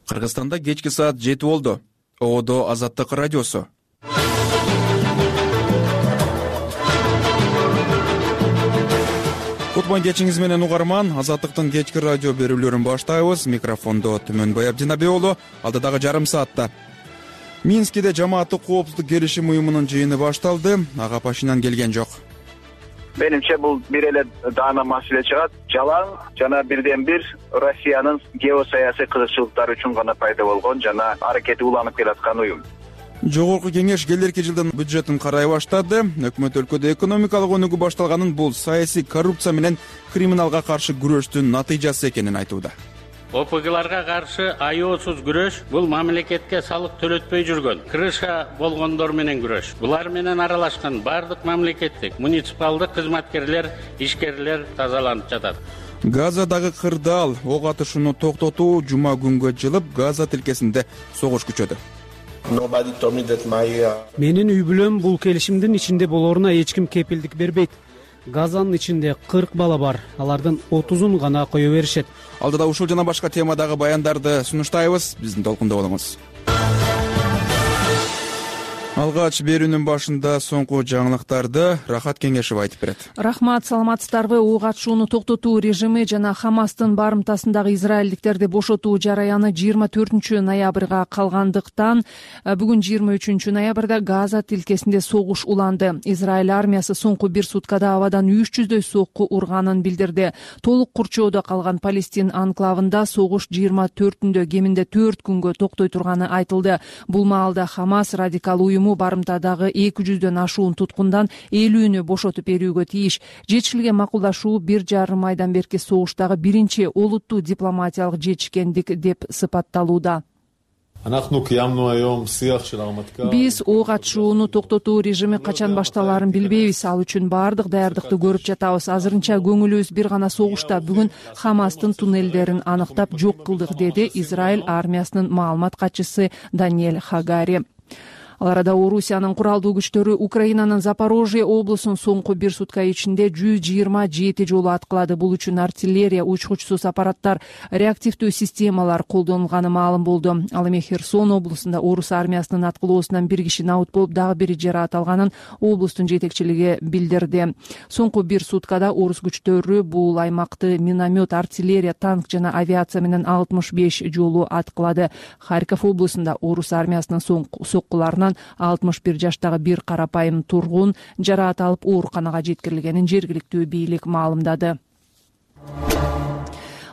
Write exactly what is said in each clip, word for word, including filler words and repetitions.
Кыргызстанда кечки саат жети болду. Оодо Азаттык радиосу. Кутман кечиңиз менен угарман. Азаттыктын кечки радио берүүлөрүн баштайбыз. Микрофондо Түмөнбай Абдинабек уулу. Алдыдагы жарым саатта Минскиде жамааттык коопсуздук келишим уюмунун жыйыны башталды. Ага Пашинян келген жок. Менимче бул бир эле даана маселе чыгат. Жалаң жана бирден бир Россиянын геосаясий кызыкчылыктары үчүн гана пайда болгон жана аракети уланып келаткан уюм. Жогорку кеңеш келерки жылдын бюджетин карай баштады. Өкмөт өлкөдө экономикалык өнүгүү башталганын, бул саясий коррупция менен криминалга каршы күрөштүн натыйжасы экенин айтууда. О П Гларга каршы аеосуз күрөш бул мамлекетке салык төлөтпөй жүргөн, крыша болгондор менен күрөш. Булар менен аралашкан бардык мамлекеттик, муниципалдык кызматкерлер, ишкерлер тазаланып жатат. Газадагы кырдаал ок атышууну токтотуу жума күнгө жылып, Газа тилкесинде согуш күчөдү. Менин үй бүлөм бул келишимдин ичинде болоруна эч ким кепилдик бербейт. Газанын ичинде кырк бала бар, алардын отузун гана кое беришет. Алдыда ушул жана башка темадагы баяндарды сунуштайбыз. Биздин толкунда болуңуз. Алгач берүүнүн башында соңку жаңылыктарды Рахат Кеңешев айтып берет. Рахмат, саламатсыздарбы? Ок атышууну токтотуу режими жана Хамастын барымтасындагы израилдиктерди бошотуу жараяны жыйырма төртүнчү ноябрга калгандыктан бүгүн жыйырма үчүнчү ноябрда Газа тилкесинде согуш уланды. Израиль армиясы соңку бир суткада абадан үч жүздөй сокку урганын билдирди. Толук курчоодо калган Палестин анклавында согуш жыйырма төртүндө кеминде төрт күнгө токтой турганы айтылды. Бул маалда Хамас радикал уюм барымтадагы эки жүздөн ашуун туткундан элүүнү бошотуп берүүгө тийиш. Жетишилген макулдашуу бир жарым айдан берки согуштагы биринчи олуттуу дипломатиялык жетишкендик деп сыпатталууда. Биз ок атышууну токтотуу режими качан башталаарын билбейбиз. Ал үчүн баардык даярдыкты көрүп жатабыз. Азырынча көңүлүбүз бир гана согушта. Бүгүн Хамастын туннелдерин аныктап жок кылдык, деди Израиль армиясынын маалымат катчысы Даниэль Хагари. Ал арада Орусиянын куралдуу күчтөрү Украинанын Запорожье облусун соңку бир сутка ичинде жүз жыйырма жети жолу аткылады. Бул үчүн артиллерия, учкучсуз аппараттар, реактивдүү системалар колдонулганы маалым болду. Ал эми Херсон облусунда орус армиясынын аткылоосунан бир киши набыт болуп, дагы бири жаракат алганын облустун жетекчилиги билдирди. Соңку бир суткада орус күчтөрү бул аймакты миномет, артиллерия, танк жана авиация менен алтымыш беш жолу аткылады. Харьков облусунда орус армиясынын соккуларынан алтымыш бир жаштагы бир карапайым тургун жаракат алып ооруканага жеткирилгенин жергиликтүү бийлик маалымдады.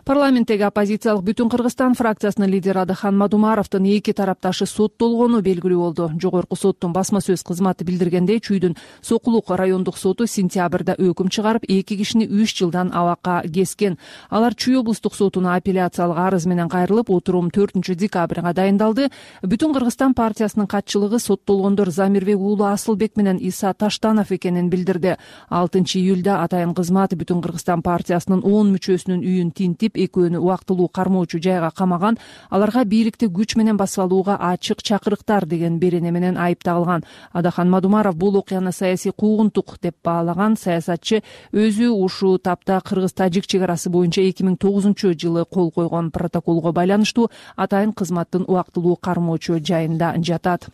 Парламенттеги оппозициялык Бүтүн Кыргызстан фракциясынын лидери Адахан Мадумаровдун эки тарапташы соттолгону белгилүү болду. Жогорку соттун басма сөз кызматы билдиргендей, Чүйдүн Сокулук райондук соту сентябрда өкүм чыгарып, эки кишини үч жылдан абакка кескен. Алар Чүй облустук сотуна апелляциялык арыз менен кайрылып, отурум төртүнчү декабрга дайындалды. Бүтүн Кыргызстан партиясынын катчылыгы соттолгондор Замирбек уулу Асылбек менен Иса Таштанов экенин билдирди. алтынчы июлда атайын кызмат Бүтүн Кыргызстан партиясынын он мүчөсүнүн үйүн тинтип, экөөнү убактылуу кармоочу жайга камаган. Аларга бийликти күч менен басып алууга ачык чакырыктар деген берене менен айыпталган. Адахан Мадумаров бул окуяны саясий куугунтук деп баалаган. Саясатчы өзү ушул тапта Кыргыз-Тажик чек арасы боюнча эки миң тогузунчу жылы кол койгон протоколго байланыштуу атайын кызматтын убактылуу кармоочу жайында жатат.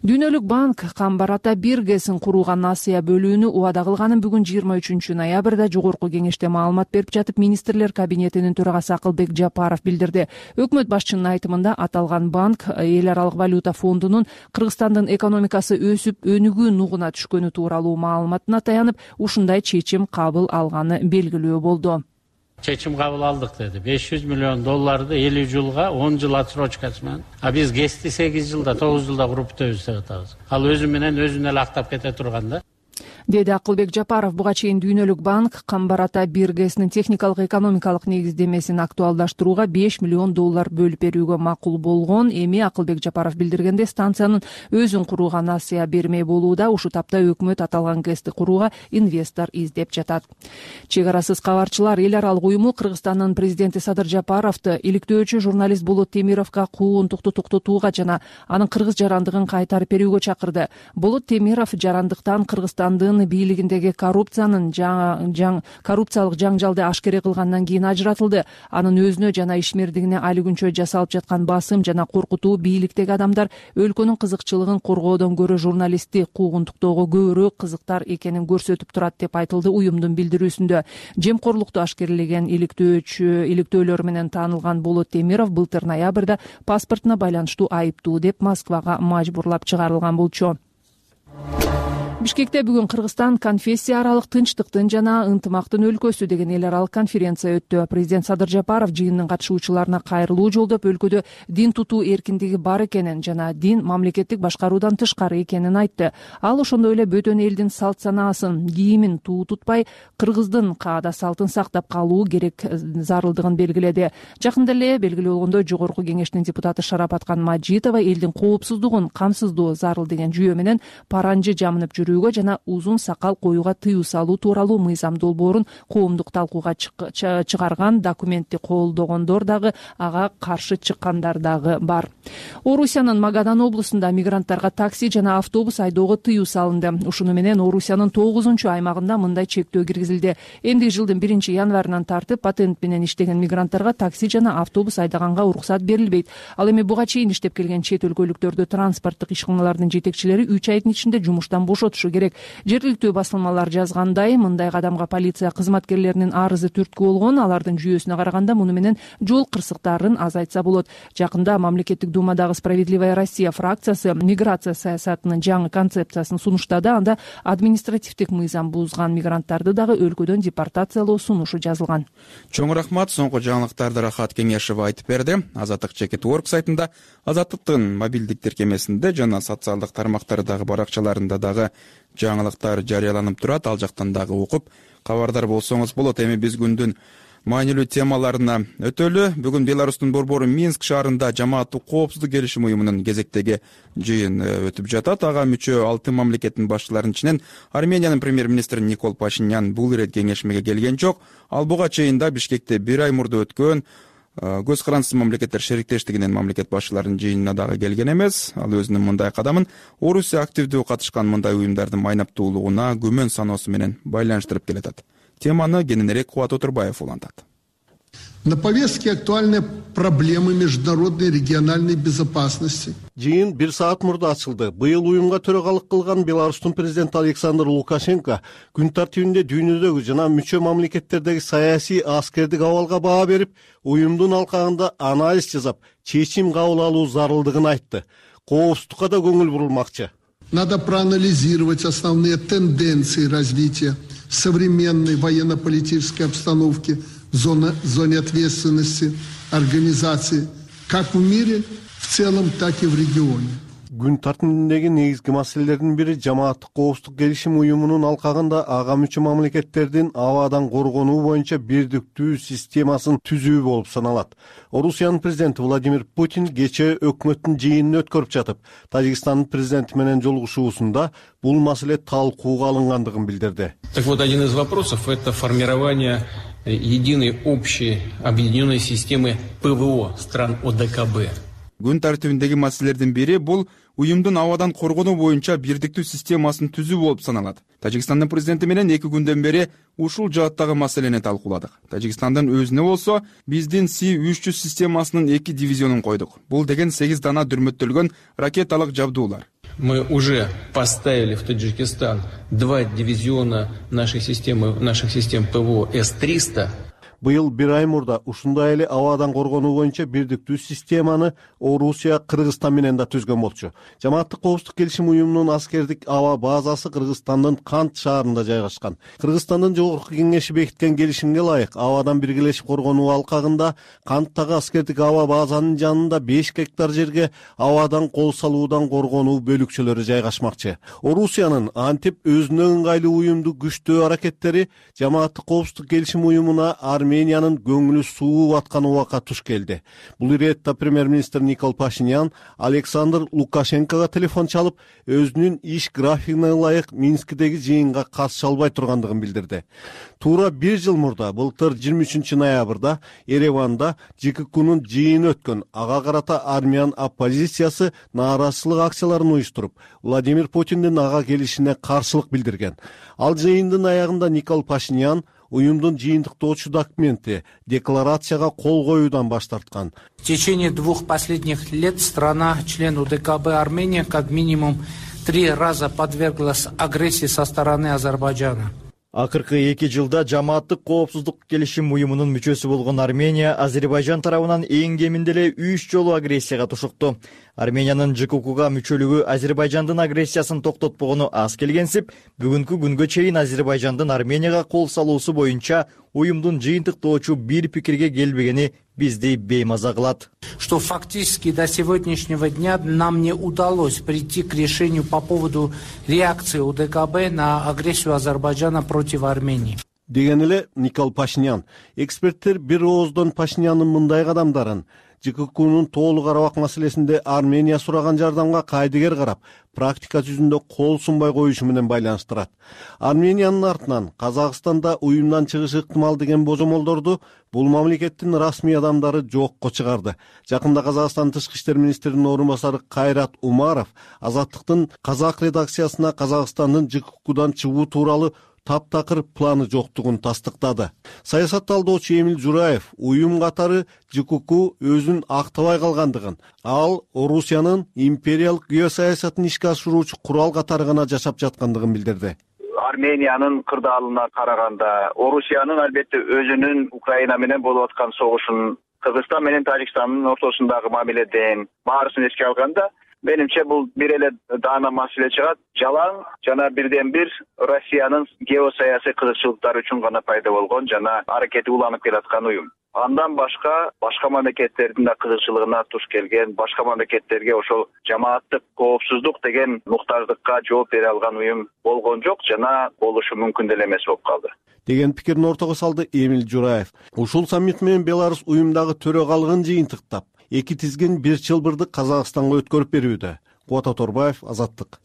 Дүйнөлүк банк Камбарата бир гэсин курууга насыя бөлүүнү убада кылганын бүгүн жыйырма үчүнчү ноябрда жогорку кеңеште маалымат берип жатып, министрлер кабинетинин төрагасы Акылбек Жапаров билдирди. Өкмөт башчынын айтымында аталган банк эл аралык валюта фондунун Кыргызстандын экономикасы өсүп өнүгүү нугуна түшкөнү тууралуу маалыматына таянып, ушундай чечим кабыл алганы белгилүү болду. Чечим кабыл алдык деди. беш жүз миллион долларды элүү жылга он жыл отсрочкасы менен. А биз гэсти сегиз жылда, тогуз жылда куруп бүтөбүз деп атабыз. Ал өзү менен өзүн эле актап кете турган да. деди Акылбек Жапаров. Буга чейин Дүйнөлүк банк Камбарата бир гэсинин техникалык экономикалык негиздемесин актуалдаштырууга беш миллион доллар бөлүп берүүгө макул болгон. Эми Акылбек Жапаров билдиргенде, станциянын өзүн курууга насыя бермей болууда. Ушул тапта өкмөт аталган гэсти курууга инвестор издеп жатат. Чек арасыз кабарчылар эл аралык уюму Кыргызстандын президенти Садыр Жапаровду иликтөөчү журналист Болот Темировго куугунтукту токтотууга жана анын кыргыз жарандыгын кайтарып берүүгө чакырды. Болот Темиров жарандыктан Кыргызстандын Украина бийлигиндеги коррупциянын жаң коррупциялык жаңжалды ашкере кылгандан кийин ажыратылды. Анын өзүнө жана ишмердигине али күнчө жасалып жаткан басым жана коркутуу бийликтеги адамдар өлкөнүн кызыкчылыгын коргоодон көрө журналистти куугунтуктоого көбүрөөк кызыктар экенин көрсөтүп турат деп айтылды уюмдун билдирүүсүндө. Жемкорлукту ашкерлеген иликтөөчү иликтөөлөр менен таанылган Болот Темиров былтыр ноябрда паспортуна байланыштуу айыптуу деп Москвага мажбурлап чыгарылган болчу. Бишкекте бүгүн Кыргызстан конфессия аралык тынчтыктын жана ынтымактын өлкөсү деген эл аралык конференция өттү. Президент Садыр Жапаров жыйындын катышуучуларына кайрылуу жолдоп өлкөдө дин тутуу эркиндиги бар экенин жана дин мамлекеттик башкаруудан тышкары экенин айтты. Ал ошондой эле бөтөн элдин салт санаасын, кийимин туу тутпай, кыргыздын каада салтын сактап калуу керек зарылдыгын белгиледи. Жакында эле белгилүү болгондой Жогорку Кеңештин депутаты Шарапаткан Мажитова элдин коопсуздугун камсыздоо зарыл деген жүйө менен паранжы жамынып жүрүү жана узун сакал коюуга тыюу салуу тууралуу мыйзам долбоорун коомдук талкууга чыгарган документти колдогондор дагы ага каршы чыккандар дагы бар. Орусиянын Магадан облусунда мигранттарга такси жана автобус айдоого тыюу салынды. Ушуну менен Орусиянын тогузунчу аймагында мындай чектөө киргизилди. Энди жылдын биринчи январынан тартып патент менен иштеген мигранттарга такси жана автобус айдаганга уруксат берилбейт. Ал эми буга чейин иштеп келген чет өлкөлүктөрдү транспорттук ишканалардын жетекчилери үч айдын ичинде жумуштан бошотушу керек. Жергиликтүү басылмалар жазгандай, мындай кадамга полиция кызматкерлеринин арызы түрткү болгон. Алардын жүйөсүнө караганда муну менен жол кырсыктарын азайтса болот. Жакында мамлекеттик думадагы Справедливая Россия фракциясы миграция саясатынын жаңы концепциясын сунуштады. Анда административдик мыйзам бузган мигранттарды дагы өлкөдөн депортациялоо сунушу жазылган. Чоң рахмат. Соңку жаңылыктарды Рахат Кеңешева айтып берди. Азаттык чекит орг сайтында, Азаттыктын мобилдик тиркемесинде жана социалдык тармактардагы баракчаларында дагы жаңылыктар жарыяланып турат. Ал жактан дагы окуп кабардар болсоңуз болот. Эми биз күндүн маанилүү темаларына өтөлү. Бүгүн Беларустун борбору Минск шаарында жамааттык коопсуздук келишим уюмунун кезектеги жыйын өтүп жатат. Ага мүчө алты мамлекеттин башчыларынын ичинен Армениянын премьер-министри Никол Пашинян бул ирет кеңешмеге келген жок. Ал буга чейин да Бишкекте бир ай мурда өткөн көз карандысыз мамлекеттер шериктештигинин мамлекет башчыларынын жыйынына дагы келген эмес. Ал өзүнүн мындай кадамын Орусия активдүү катышкан мындай уюмдардын майнаптуулугуна күмөн саноосу менен байланыштырып келатат. Теманы кененирээк Кубат Отурбаев улантат. На повестке актуальны проблемы международной и региональной безопасности. Жыйын бир саат мурда ачылды. Быйыл уюмга төрөгалык кылган Беларустун президенти Александр Лукашенко күн тартибинде дүйнөдөгү жана мүчө мамлекеттердеги саясий аскердик абалга баа берип, уюмдун алкагында анализ жасап, чечим кабыл алуу зарылдыгын айтты. Коопсуздукка да көңүл бурулмакчы. Надо проанализировать основные тенденции развития современной военно-политической обстановки в зоне, зоне ответственности организации как в мире в целом, так и в регионе. Күн тартибиндеги негизги маселелердин бири жамааттык коопсуздук келишим уюмунун алкагында ага мүчө мамлекеттердин абадан коргонуу боюнча бирдиктүү системасын түзүү болуп саналат. Орусиянын президенти Владимир Путин кечээ өкмөттүн жыйынын өткөрүп жатып, Тажикстандын президенти менен жолугушуусунда бул маселе талкууга алынгандыгын билдирди. Так вот, один из вопросов — это формирование единой общей объединенной системы ПВО стран ОДКБ. Күн тартибиндеги маселелердин бири бул уюмдун абадан коргонуу боюнча бирдиктүү системасын түзүү болуп саналат. Тажикстандын президенти менен эки күндөн бери ушул жааттагы маселени талкууладык. Тажикстандын өзүнө болсо биздин Си үч жүз системасынын эки дивизионун койдук. Бул деген сегиз дана дүрмөттөлгөн ракеталык жабдуулар. Мы уже поставили в Таджикистан два дивизиона нашей системы, наших систем ПВО С триста. Быйыл бир ай мурда ушундай эле абадан коргонуу боюнча бирдиктүү системаны Орусия Кыргызстан менен да түзгөн болчу. Жамааттык коопсуздук келишим уюмунун аскердик аба базасы Кыргызстандын Кант шаарында жайгашкан. Кыргызстандын Жогорку Кеңеши бекиткен келишимге ылайык абадан биргелешип коргонуу алкагында Канттагы аскердик аба базанын жанында беш гектар жерге абадан кол салуудан коргонуу бөлүкчөлөрү жайгашмакчы. Орусиянын антип өзүнө ыңгайлуу уюмду күчтөө аракеттери жамааттык коопсуздук келишим уюмуна армия Армениянын көңүлү сууп аткан убакка туш келди. Бул иретте премьер-министр Никол Пашинян Александр Лукашенкого телефон чалып, өзүнүн иш графигине ылайык Минскидеги жыйынга катыша албай тургандыгын билдирди. Туура бир жыл мурда, былтыр жыйырма үчүнчү ноябрда Ереванда ЖККнун жыйыны өткөн. Ага карата армян оппозициясы нааразычылык акцияларын уюштуруп, Владимир Путиндин ага келишине каршылык билдирген. Ал жыйындын аягында Никол Пашинян уюмдун жыйынтыктоочу документи декларацияга кол коюудан баш тарткан. В течение двух последних лет страна, член УДКБ Армения, как минимум три раза подверглась агрессии со стороны Азербайджана. Акыркы эки жылда жамааттык коопсуздук келишим уюмунун мүчөсү болгон Армения Азербайжан тарабынан эң кеминде эле үч жолу агрессияга тушукту. Армениянын ЖККга мүчөлүгү Азербайжандын агрессиясын токтотпогону аз келгенсип, бүгүнкү күнгө чейин Азербайжандын Арменияга кол салуусу боюнча уюмдун жыйынтыктоочу бир пикирге келбегени бизди беймаза кылат. Что фактически до сегодняшнего дня нам не удалось прийти к решению по поводу реакции УДКБ на агрессию Азербайджана против Армении. Деген эле Никол Пашинян. Эксперттер бир ооздон Пашинянын мындай кадамдарын ЖККнун тоолук арабак маселесинде Армения сураган жардамга кайдыгер карап, практика жүзүндө кол сунбай коюшу менен байланыштырат. Армениянын артынан Казакстанда уюмдан чыгышы ыктымал деген божомолдорду бул мамлекеттин расмий адамдары жокко чыгарды. Жакында Казакстан тышкы иштер министринин орун басары Кайрат Умаров Азаттыктын казак редакциясына Казакстандын ЖККдан чыгуу тууралуу таптакыр планы жоктугун тастыктады. Саясат талдоочу Эмиль Жураев уюм катары ЖКК өзүн актабай калгандыгын, ал Орусиянын империялык геосаясатын ишке ашыруучу курал катары гана жашап жаткандыгын билдирди. Армениянын кырдаалына караганда, Орусиянын албетте өзүнүн Украина менен болуп аткан согушун, Кыргызстан менен Тажикстандын ортосундагы мамиледен баарысын эске алганда, менимче бул бир эле даана маселе чыгат. Жалаң жана бирден бир Россиянын геосаясий кызыкчылыктары үчүн гана пайда болгон жана аракети уланып келаткан уюм. Андан башка башка мамлекеттердин да кызыкчылыгына туш келген, башка мамлекеттерге ошол жамааттык коопсуздук деген муктаждыкка жооп бере алган уюм болгон жок жана болушу мүмкүн деле эмес болуп калды. Деген пикирин ортого салды Эмиль Жураев. Ушул саммит менен Беларусь уюмдагы төрөгалыгын жыйынтыктап, эки тизгин бир чылбырды Казакстанга өткөрүп берүүдө. Кубат Оторбаев, Азаттык.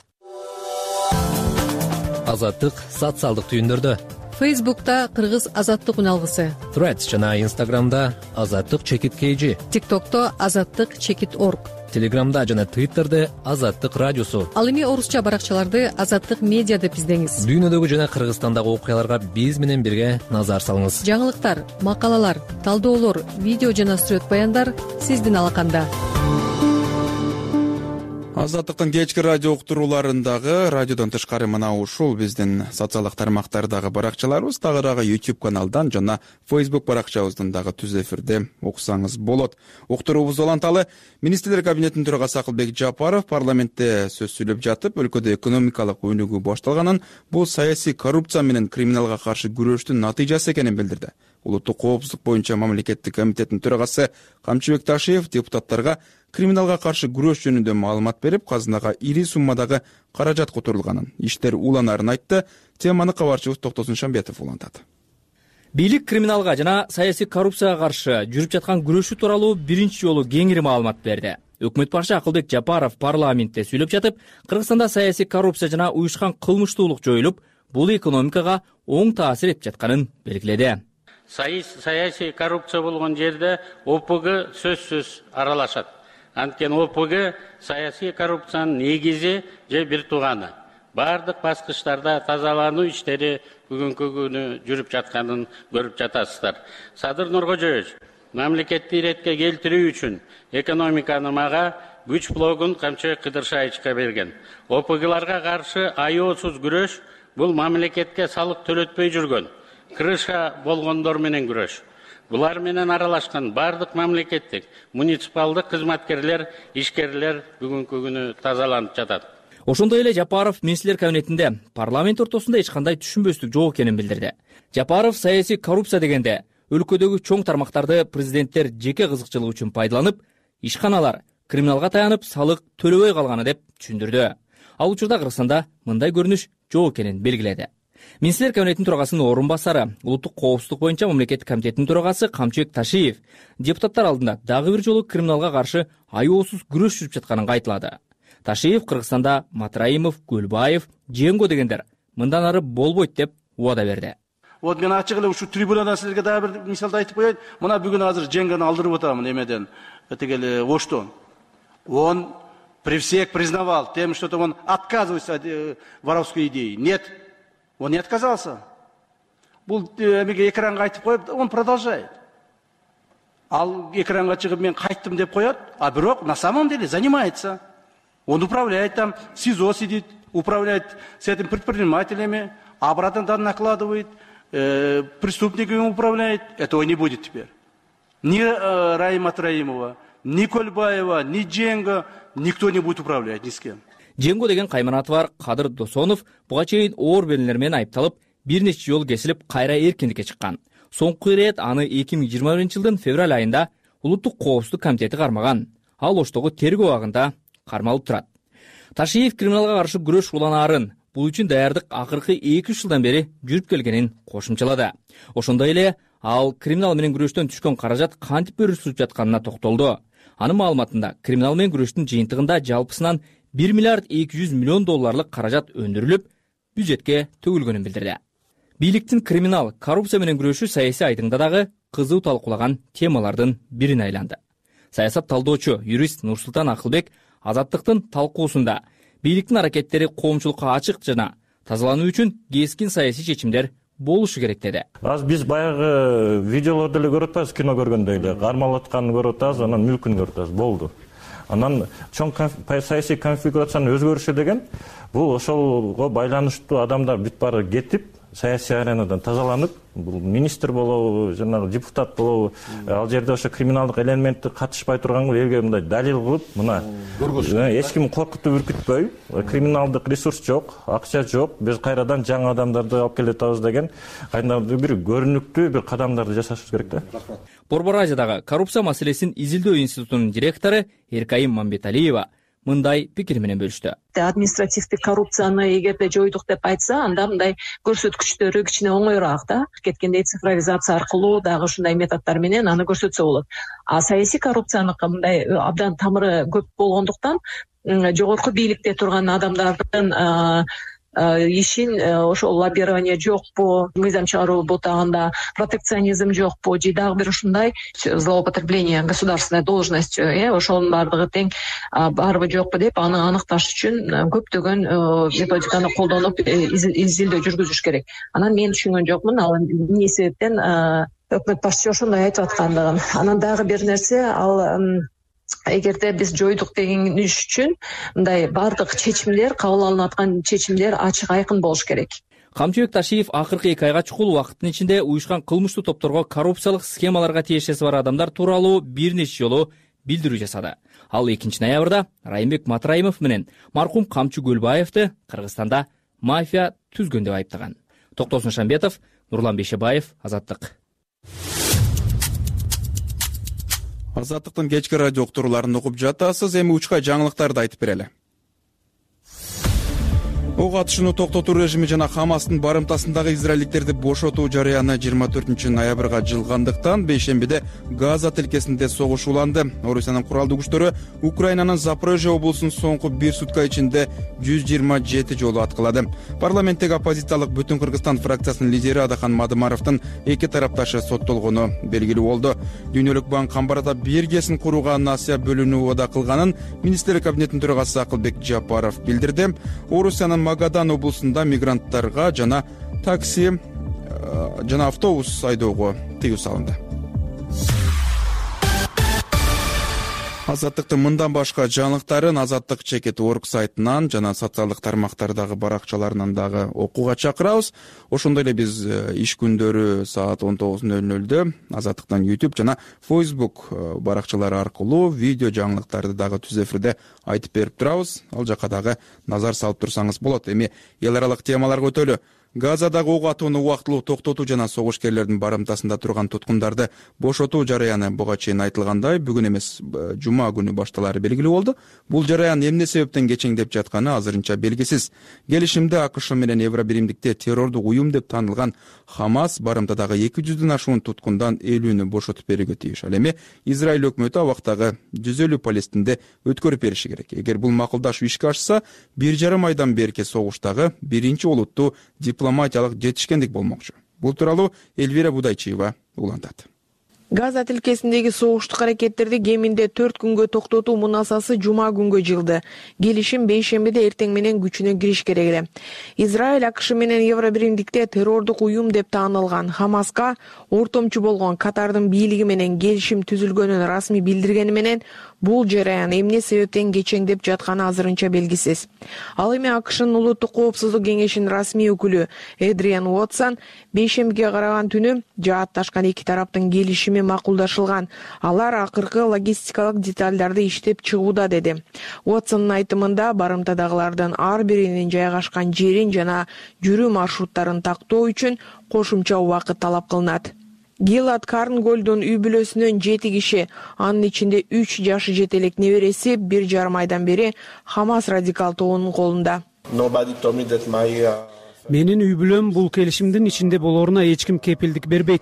Азаттык социалдык түйүндөрдө. Фейсбукта Кыргыз Азаттык үналгысы. Threads жана Instagramда Азаттык чекит кейжи. TikTokто Азаттык чекит орг. Телеграмда жана Twitterде Азаттык радиосу. Ал эми орусча баракчаларды Азаттык медиа деп издеңиз. Дүйнөдөгү жана Кыргызстандагы окуяларга биз менен бирге назар салыңыз. Жаңылыктар, макалалар, талдоолор, видео жана сүрөт баяндар сиздин алаканда. Азаттыктын кечки радио уктурууларындагы радиодон тышкары мына ушул биздин социалдык тармактардагы баракчаларыбыз, тагыраагы YouTube каналдан жана Facebook баракчабыздан дагы түз эфирде окусаңыз болот. Уктуруубуз уланталы. Министрлер кабинетинин төрагасы Акылбек Жапаров парламентте сөз сүйлөп жатып, өлкөдө экономикалык өнүгүү башталганын, бул саясий коррупция менен криминалга каршы күрөштүн натыйжасы экенин билдирди. Улуттук коопсуздук боюнча мамлекеттик комитеттин төрагасы Камчыбек Ташиев депутаттарга криминалга каршы күрөш жөнүндө маалымат берип, казынага ири суммадагы каражат которулганын, иштер уланарын айтты. Теманы кабарчыбыз Токтосун Шамбетов улантат. Бийлик криминалга жана саясий коррупцияга каршы жүрүп жаткан күрөшү тууралуу биринчи жолу кеңири маалымат берди. Өкмөт башы Акылбек Жапаров парламентте сүйлөп жатып, Кыргызстанда саясий коррупция жана уюшкан кылмыштуулук жоюлуп, бул экономикага оң таасир этип жатканын белгиледи. Саясий коррупция болгон жерде ОПГ сөзсүз аралашат. Анткени ОПГ саясий коррупциянын негизи же бир тууганы. Бардык баскычтарда тазалануу иштери бүгүнкү күнү жүрүп жатканын көрүп жатасыздар. Садыр Нуркожоевич, мамлекетти иретке келтирүү үчүн экономиканы мага күч блогун Камчыбек Кыдыршаевичке берген. ОПГларга каршы аеосуз күрөш бул мамлекетке салык төлөтпөй жүргөн крыша болгондор менен күрөш. Булар менен аралашкан бардык мамлекеттик, муниципалдык кызматкерлер, ишкерлер бүгүнкү күнү тазаланып жатат. Ошондой эле Жапаров министрлер кабинетинде парламент ортосунда эч кандай түшүнбөстүк жок экенин билдирди. Жапаров саясий коррупция дегенде өлкөдөгү чоң тармактарды президенттер жеке кызыкчылыгы үчүн пайдаланып, ишканалар криминалга таянып салык төлөбөй калганы деп түшүндүрдү. Ал учурда Кыргызстанда мындай көрүнүш жок экенин белгиледи. Министрлер кабинетинин төрагасынын орун басары, улуттук коопсуздук боюнча мамлекеттик комитеттин төрагасы Камчыбек Ташиев депутаттар алдында дагы бир жолу криминалга каршы аеосуз күрөш жүрүп жатканын кайталады. Ташиев Кыргызстанда Матраимов, Көлбаев, Женго дегендер мындан ары болбойт деп убада берди. Вот мен ачык эле ушул трибунадан силерге дагы бир мисалды айтып коеюн. Мына бүгүн азыр Женгону алдырып атамын эмеден, тигил Оштон. Он при всех признавал тем, что он отказывается от воровской идеи. Нет, он не отказался. Бул эмеге экранга айтып коюп, он продолжает. Ал экранга чыгып мен кайттым деп коет, а бирок на самом деле занимается. Он управляет там, в СИЗО сидит, управляет с этим предпринимателями, обратно там накладывает, э, преступниками управляет. Этого не будет теперь. Ни э, Раима Траимова, ни Кольбаева, ни Дженго, никто не будет управлять ни с кем. Женго деген кайманаты бар Кадыр Досонов буга чейин оор белгилер менен айыпталып, бир нече жол кесилип кайра эркиндикке чыккан. Соңку ирет аны эки миң жыйырма биринчи жылдын февраль айында улуттук коопсуздук комитети кармаган. Ал Оштогу тергөө абагында кармалып турат. Ташиев криминалга каршы күрөш уланаарын, бул үчүн даярдык акыркы эки үч жылдан бери жүрүп келгенин кошумчалады. Ошондой эле ал криминал менен күрөштөн түшкөн каражат кантип бөлүнүп жатканына токтолду. Анын маалыматында криминал менен күрөштүн жыйынтыгында жалпысынан бир миллиард эки жүз миллион долларлык каражат өндүрүлүп, бюджетке төгүлгөнүн билдирди. Бийликтин криминал, коррупция менен күрөшү саясий айдыңда дагы кызуу талкуулаган темалардын бирине айланды. Саясат талдоочу юрист Нурсултан Акылбек Азаттыктын талкуусунда бийликтин аракеттери коомчулукка ачык жана тазалануу үчүн кескин саясий чечимдер болушу керек деди. Аз биз баягы видеолорду эле көрүп атабыз, кино көргөндөй эле, кармалатканын көрүп атабыз, анан мүлкүн көрүп атабыз, болду. Анан чоң саясий конфигурациянын өзгөрүшү деген бул ошолго байланыштуу адамдар бүт баары кетип, саясий аренадан тазаланып, бул министр болобу, жанагы депутат болобу, ал жерде ошо криминалдык элементти катышпай турганга элге мындай далил кылып, мына эч ким коркутуп үркүтпөй, криминалдык ресурс жок, акча жок, биз кайрадан жаңы адамдарды алып келе атабыз деген кайдандыр бир көрүнүктүү бир кадамдарды жасашыбыз керек да. Борбор Азиядагы коррупция маселесин изилдөө институтунун директору Эркайым Мамбеталиева мындай пикир менен бөлүштү. Административдик коррупцияны эгерде жойдук деп айтса, анда мындай көрсөткүчтөрү кичине оңоюраак да. Кеткендей цифровизация аркылуу дагы ушундай методдор менен аны көрсөтсө болот. А саясий коррупцияныкы мындай абдан тамыры көп болгондуктан жогорку бийликте турган адамдардын ишин ошол лоббирование жокпу, мыйзам чыгаруу бутагында протекционизм жокпу же дагы бир ушундай злоупотребление государственной должностью, э ошонун баардыгы тең барбы жокпу деп аны аныкташ үчүн көптөгөн методиканы колдонуп изилдөө жүргүзүш керек. Анан мен түшүнгөн жокмун, ал эмне себептен өкмөт башчысы ошондой айтып аткандыгын. Анан дагы бир нерсе, ал эгерде биз жойдук деген иш үчүн мындай баардык чечимдер, кабыл алынып аткан чечимдер ачык айкын болуш керек. Камчыбек Ташиев акыркы эки айга чукул убакыттын ичинде уюшкан кылмыштуу топторго коррупциялык схемаларга тиешеси бар адамдар тууралуу бир нече жолу билдирүү жасады. Ал экинчи ноябрда Райымбек Матраимов менен маркум Камчы Көлбаевди Кыргызстанда мафия түзгөн деп айыптаган. Токтосун Шамбетов, Нурлан Бейшебаев, Азаттык. Азаттыктын кечки радио уктурууларын угуп жатасыз. Эми учка жаңылыктарды айтып берели. Ок атышууну токтотуу режими жана Хамастын барымтасындагы израилдиктерди бошотуу жарыяны жыйырма төртүнчү ноябрга жылгандыктан бейшембиде Газа тилкесинде согуш уланды. Орусиянын куралдуу күчтөрү Украинанын Запорожье облусунун соңку бир сутка ичинде жүз жыйырма жети жолу аткылады. Парламенттеги оппозициялык Бүтүн Кыргызстан фракциясынын лидери Адахан Мадымаровдун эки тарапташы соттолгону белгилүү болду. Дүйнөлүк банк Камбарада биргесин курууга насыя бөлүнүү убада кылганын министрлер кабинетинин төрагасы Акылбек Жапаров билдирди. Орусиянын Магадан облусунда мигранттарга жана такси жана автобус айдоого тыюу салынды. Азаттыктын мындан башка жаңылыктарын Азаттык чекит орг сайтынан жана социалдык тармактардагы баракчаларынан дагы окууга чакырабыз. Ошондой эле биз иш күндөрү саат он тогуз ноль нолдо Азаттыктан YouTube жана Facebook баракчалары аркылуу видео жаңылыктарды дагы түз эфирде айтып берип турабыз. Ал жака дагы назар салып турсаңыз болот. Эми эл аралык темаларга өтөлү. Газадагы ок атууну убактылуу токтотуу жана согушкерлердин барымтасында турган туткундарды бошотуу жараяны буга чейин айтылгандай бүгүн эмес жума күнү башталаары белгилүү болду. Бул жараян эмне себептен кечеңдеп жатканы азырынча белгисиз. Келишимде АКШ менен Евробиримдикте террордук уюм деп таанылган Хамас барымтадагы эки жүздөн ашуун туткундан элүүнү бошотуп берүүгө тийиш. Ал эми Израиль өкмөтү абактагы жүз элүү Палестинди өткөрүп бериши керек. Эгер бул макулдашуу ишке ашса, бир жарым айдан берки согуштагы биринчи олуттуу дипломатиялык жетишкендик болмокчу. Бул тууралуу Эльвира Будайчиева улантат. Газа тилкесиндеги согуштук аракеттерди кеминде төрт күнгө токтотуу мунасасы жума күнгө жылды. Келишим бейшембиде эртең менен күчүнө кириш керек эле. Израиль АКШ менен Евробиримдикте террордук уюм деп таанылган Хамаска ортомчу болгон Катардын бийлиги менен келишим түзүлгөнүн расмий билдиргени менен бул жараян эмне себептен кечеңдеп жатканы азырынча белгисиз. Ал эми АКШнын улуттук коопсуздук кеңешинин расмий өкүлү Эдриан Уотсон бейшембиге караган түнү жаатташкан эки тараптын келишими макулдашылган. Алар акыркы логистикалык деталдарды иштеп чыгууда деди. Уотсондун айтымында барымтадагылардын ар биринин жайгашкан жерин жана жүрүү маршруттарын тактоо үчүн кошумча убакыт талап кылынат. Гилад Корнголдун үй бүлөсүнөн жети киши, анын ичинде үч жашы жетелек небереси бир жарым айдан бери Хамас радикал тобунун колунда. Менин үй бүлөм бул келишимдин ичинде болоруна эч ким кепилдик бербейт.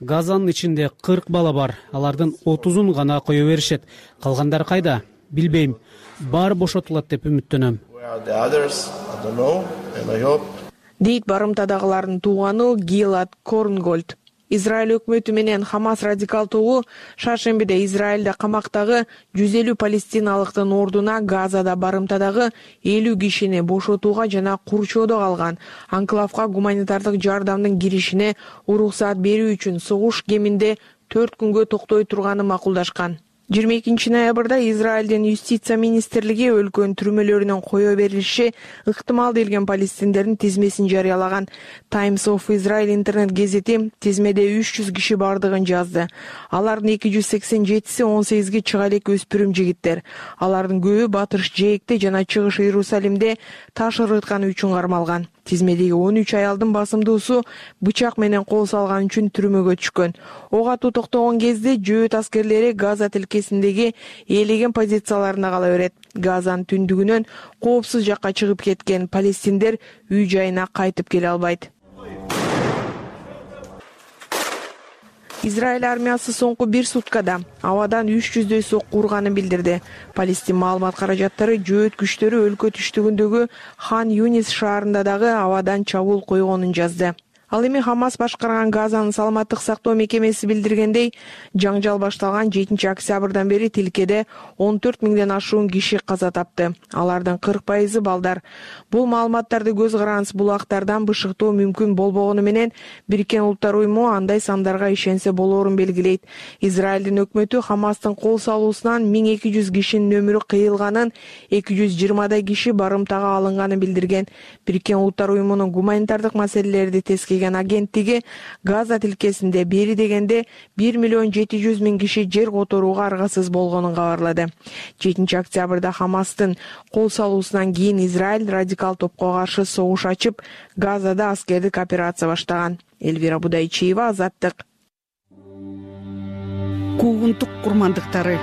Газанын ичинде кырк бала бар. Алардын отузун гана кое беришет. Калгандары кайда? Билбейм. Баары бошотулат деп үмүттөнөм. Дейт барымтадагылардын тууганы Гилад Корнголд. Израиль өкмөтү менен Хамас радикал тобу шаршембиде Израилде камактагы жүз элүү палестиналыктын ордуна Газада барымтадагы элүү кишини бошотууга жана курчоодо калган анклавга гуманитардык жардамдын киришине уруксаат берүү үчүн согуш кеминде төрт күнгө токтой турганы макулдашкан. жыйырма экинчи ноябрда Израилдин юстиция министрлиги өлкөнүн түрмөлөрүнөн кое берилиши ыктымал делген палестиндердин тизмесин жарыялаган. Times of Israel интернет гезити тизмеде үч жүз киши бардыгын жазды. Алардын эки жүз сексен жетиси он сегизге чыга элек өспүрүм жигиттер. Алардын көбү Батыш Жээкте жана Чыгыш Иерусалимде таш ырытканы үчүн кармалган. Тизмедеги он үч аялдын басымдуусу бычак менен кол салган үчүн түрмөгө түшкөн. Ок атуу токтогон кезде жөөт аскерлери Газа тилкесиндеги ээлеген позицияларына кала берет. Газанын түндүгүнөн коопсуз жакка чыгып кеткен палестиндер үй жайына кайтып келе албайт. Израиль армиясы соңку бир суткада абадан үч жүздөй сокку урганын билдирди. Палестин маалымат каражаттары жөөт күчтөрү өлкө түштүгүндөгү Хан Юнис шаарында дагы абадан чабуул койгонун жазды. Ал эми Хамас башкарган Газанын саламаттык сактоо мекемеси билдиргендей, жаңжал башталган жетинчи октябрдан бери тилкеде он төрт миңден ашуун киши каза тапты. Алардын кырк пайызы балдар. Бул маалыматтарды көз карандысыз булактардан бышыктоо мүмкүн болбогону менен Бириккен Улуттар уюму андай сандарга ишенсе болоорун белгилейт. Израилдин өкмөтү Хамастын кол салуусунан миң эки жүз кишинин өмүрү кыйылганын, эки жүз жыйырмадай киши барымтага алынганын билдирген. Бириккен Улуттар уюмунун гуманитардык маселелерди тескейген агенттиги Газа тилкесинде бери дегенде бир миллион жети жүз миң киши жер которууга аргасыз болгонун кабарлады. жетинчи октябрда Хамастын кол салуусунан кийин Израиль радикал топко каршы согуш ачып, Газада аскердик операция баштаган. Эльвира Будайчиева, Азаттык. Куугунтук курмандыктары.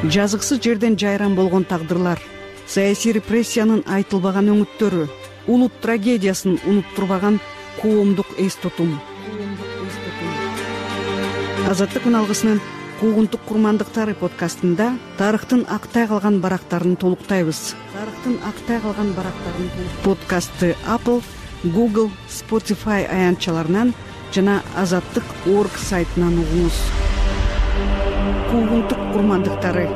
Жазыксыз жерден жайран болгон тагдырлар, саясий репрессиянын айтылбаган өңүттөрү, улут трагедиясын унуттурбаган коомдук эс тутум. Азаттык үналгысынын Куугунтук курмандыктары подкастында тарыхтын актай калган барактарын толуктайбыз. Тарыхтын актай калган барактарын подкастты Apple, Google, Spotify аянтчаларынан жана азаттык точка орг сайтынан угуңуз. Куугунтук курмандыктары.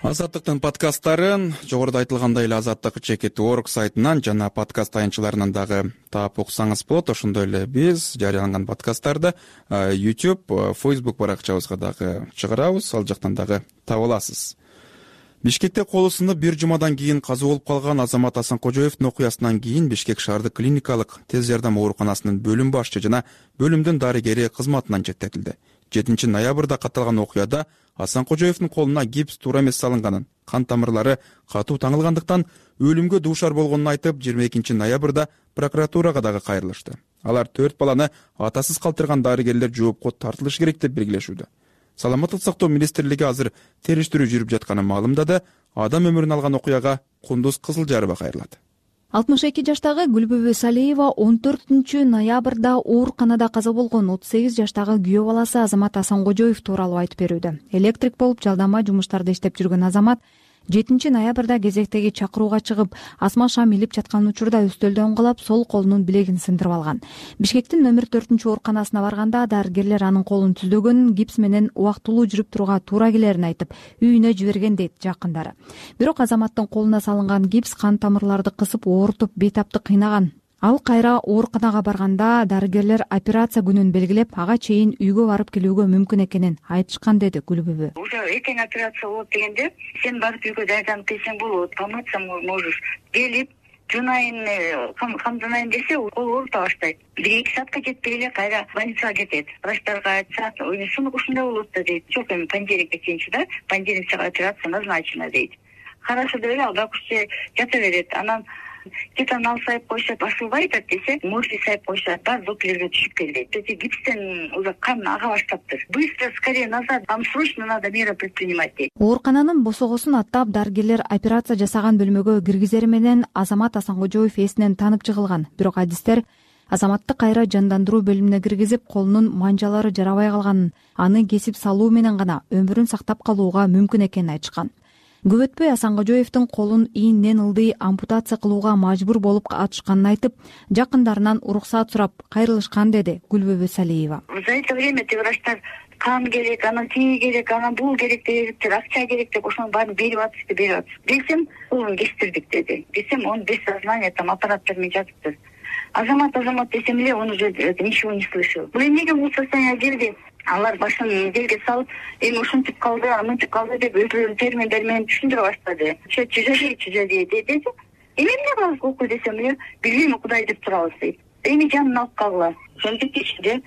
Азаттыктын подкасттарын жогоруда айтылгандай эле азаттык чекит точка орг сайтынан жана подкаст аянтчаларынан дагы таап уксаңыз болот. Ошондой эле биз жарыяланган подкасттарды YouTube, Facebook баракчабызга дагы чыгарабыз. Ал жактан дагы таба аласыз. Бишкекте колу сынып бир жумадан кийин каза болуп калган Азамат Асанкожоевдин окуясынан кийин Бишкек шаардык клиникалык тез жардам ооруканасынын бөлүм башчы жана бөлүмдүн дарыгери кызматынан четтетилди. жетинчи ноябрда катталган окуяда Асанкожоевдин колуна гипс туура эмес салынганын, кан тамырлары катуу таңылгандыктан өлүмгө дуушар болгонун айтып, жыйырма экинчи ноябрда прокуратурага дагы кайрылышты. Алар төрт баланы атасыз калтырган дарыгерлер жоопко тартылышы керек деп белгилешүүдө. Саламаттык сактоо министрлиги азыр териштирүү жүрүп жатканын маалымдады. Адам өмүрүн алган окуяга Кундуз Кызылжарова кайрылат. алтымыш эки жаштагы Гүлбүбү Салиева он төртүнчү ноябрда ооруканада каза болгон отуз сегиз жаштагы күйөө баласы Азамат Асанкожоев тууралуу айтып берүүдө. Электрик болуп жалдама жумуштарда иштеп жүргөн Азамат жетинчи ноябрда кезектеги чакырууга чыгып, асма шам илип жаткан учурда өстөлдө оңголоп, сол колунун билегин сындырып алган. Бишкектин номер төртүнчү ооруканасына барганда дарыгерлер анын колун түздөгөнүн, гипс менен убактылуу жүрүп турууга туура келерин айтып, үйүнө жиберген дейт жакындары. Бирок Азаматтын колуна салынган гипс кан тамырларды кысып, оорутуп, бейтапты кыйнаган. Ал кайра ооруканага барганда дарыгерлер операция күнүн белгилеп, ага чейин үйгө барып келүүгө мүмкүн экенин айтышкан, деди Гүлбүбү. Уже эртең операция болот дегенде, сен барып үйгө даярданып келсең болот, помыться можешь. Келип, жунайын, камданайын десе, ол оорута баштайт. бир эки саатка жетпей эле кайра больницага кетет. Врачтарга айтса, сынок ушундай болот да дейт. Жок, эми понедельникке чейинчи да, понедельник операция назначена дейт. Хорошо деп эле ал докучче жата берет. Анан титанал сайып койсо басылбай атат десе, морфий сайып койсо бар доклерге түшүп келди. Эти гипстен уже кан ага баштаптыр. Быстро, скорее назад, вам срочно надо мера предпринимать дейт. Оорукананын босогосун аттап, дарыгерлер операция жасаган бөлмөгө киргизери менен Азамат Асанкожоев эсинен танып жыгылган. Бирок адистер Азаматты кайра жандандыруу бөлүмүнө киргизип, колунун манжалары жарабай калганын, аны кесип салуу менен гана өмүрүн сактап калууга мүмкүн экенин айтышкан. Көп өтпөй Асанкожоевдин колун ийинен ылдый ампутация кылууга мажбур болуп атышканын айтып, жакындарынан уруксаат сурап кайрылышкан, деди Гүлбүбү Салиева. За это время те врачтар кан керек, анан тиги керек, анан бул керек деп, акча керек деп, ошонун баарын берип атышты, берип атышты. Десем, колун кестирдик деди. Десем, он без сознания, там аппараттар менен жатыптыр. Азамат, Азамат десем эле, он уже ничего не слышал. Бул эмнеге бул состояние келди? Алар башын жерге салып, эми ушинтип калды, мынтип калды деп өзүлөрүнүн терминдери менен түшүндүрө баштады. Чүжөдей, чүжөдей деди. Эми эмне кылабыз укук десем эле, билбейм, Кудай деп турабыз дейт. Эми жанын алып калгыла. Ошентип ичинде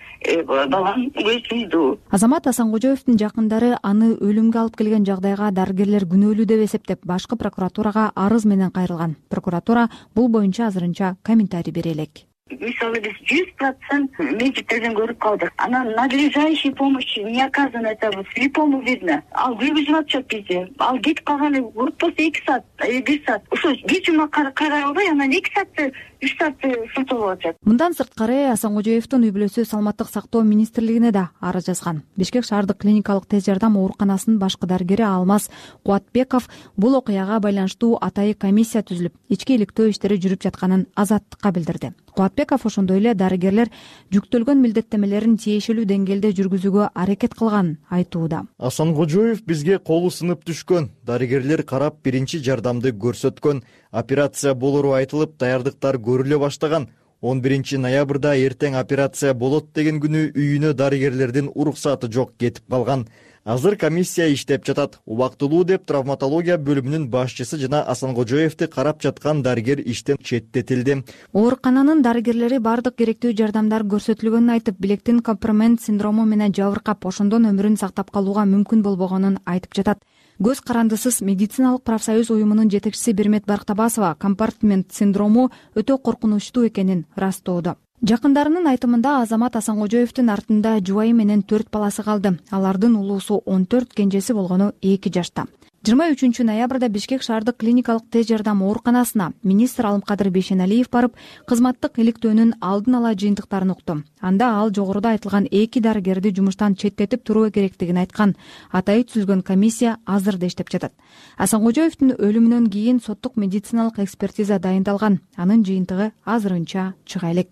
балам өзүндү. Азамат Асанкожоевдин жакындары аны өлүмгө алып келген жагдайга дарыгерлер күнөөлүү деп эсептеп, башкы прокуратурага арыз менен кайрылган. Прокуратура бул боюнча азырынча комментарий бере элек. Мисалы биз жүз процент медиктерден көрүп калдык. Анан надлежащей помощи не оказано, это слепому видно. Ал жүргүзүп атышат бизди. Ал кетип калганы болсо эки саат, бир саат. Ошо бир жума карай албай, анан эки саатты, үч саатты сылталап атышат. Мындан сырткары Асанкожоевдин үй бүлөсү Саламаттык сактоо министрлигине да арыз жазган. Бишкек шаардык клиникалык тез жардам ооруканасынын башкы дарыгери Алмаз Кубатбеков бул окуяга байланыштуу атайын комиссия түзүлүп, ички иликтөө иштери жүрүп жатканын Азаттыкка билдирди. Кубатбеков ошондой эле дарыгерлер жүктөлгөн милдеттемелерин тиешелүү деңгээлде жүргүзүүгө аракет кылганын айтууда. Асанкожоев бизге колу сынып түшкөн, дарыгерлер карап биринчи жардамды көрсөткөн, операция болору айтылып, даярдыктар көрүлө баштаган. он биринчи ноябрда эртең операция болот деген күнү үйүнө дарыгерлердин уруксаты жок кетип калган. Азыр комиссия иштеп жатат. Убактылуу деп травматология бөлүмүнүн башчысы жана Асанкожоевди карап жаткан дарыгер иштен четтетилди. Оорукананын дарыгерлери бардык керектүү жардамдар көрсөтүлгөнүн айтып, билектин компромент синдрому менен жабыркап, ошондон өмүрүн сактап калууга мүмкүн болбогонун айтып жатат. Көз карандысыз медициналык профсоюз уюмунун жетекчиси Бермет Барктабасова компартмент синдрому өтө коркунучтуу экенин ырастоодо. Жакындарынын айтымында Азамат Асанкожоевдин артында жубайы менен төрт баласы калды. Алардын улуусу он төрт, кенжеси болгону эки жашта. жыйырма үчүнчү ноябрда Бишкек шаардык клиникалык тез жардам ооруканасына министр Алымкадыр Бейшеналиев барып, кызматтык иликтөөнүн алдын ала жыйынтыктарын укту. Анда ал жогоруда айтылган эки дарыгерди жумуштан четтетип туруу керектигин айткан. Атайын түзүлгөн комиссия азыр да иштеп жатат. Асанкожоевдин өлүмүнөн кийин соттук медициналык экспертиза дайындалган. Анын жыйынтыгы азырынча чыга элек.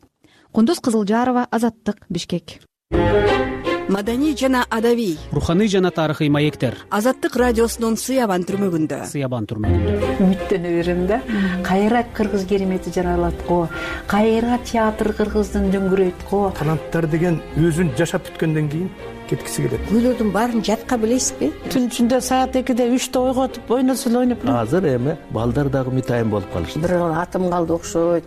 Кундуз Кызылжарова, Азаттык, Бишкек. маданий жана адабий, руханий жана тарыхый маектер. Азаттык радиосунун Сыябан түрмөгүндө. Сыябан түрмөгүндө. Үмүттөнө берем да. Кайра кыргыз керемети жаралат го. Кайра театр кыргыздын дөңгүрөйт го. Таланттар деген өзүн жашап бүткөндөн кийин кеткиси келет. Күйлөрдүн баарын жатка билесизби? Түн ичинде саат экиде үчтө ойготуп ойносо эле ойноп. Азыр эми балдар дагы мытайын болуп калышты. Бир атым калды окшойт.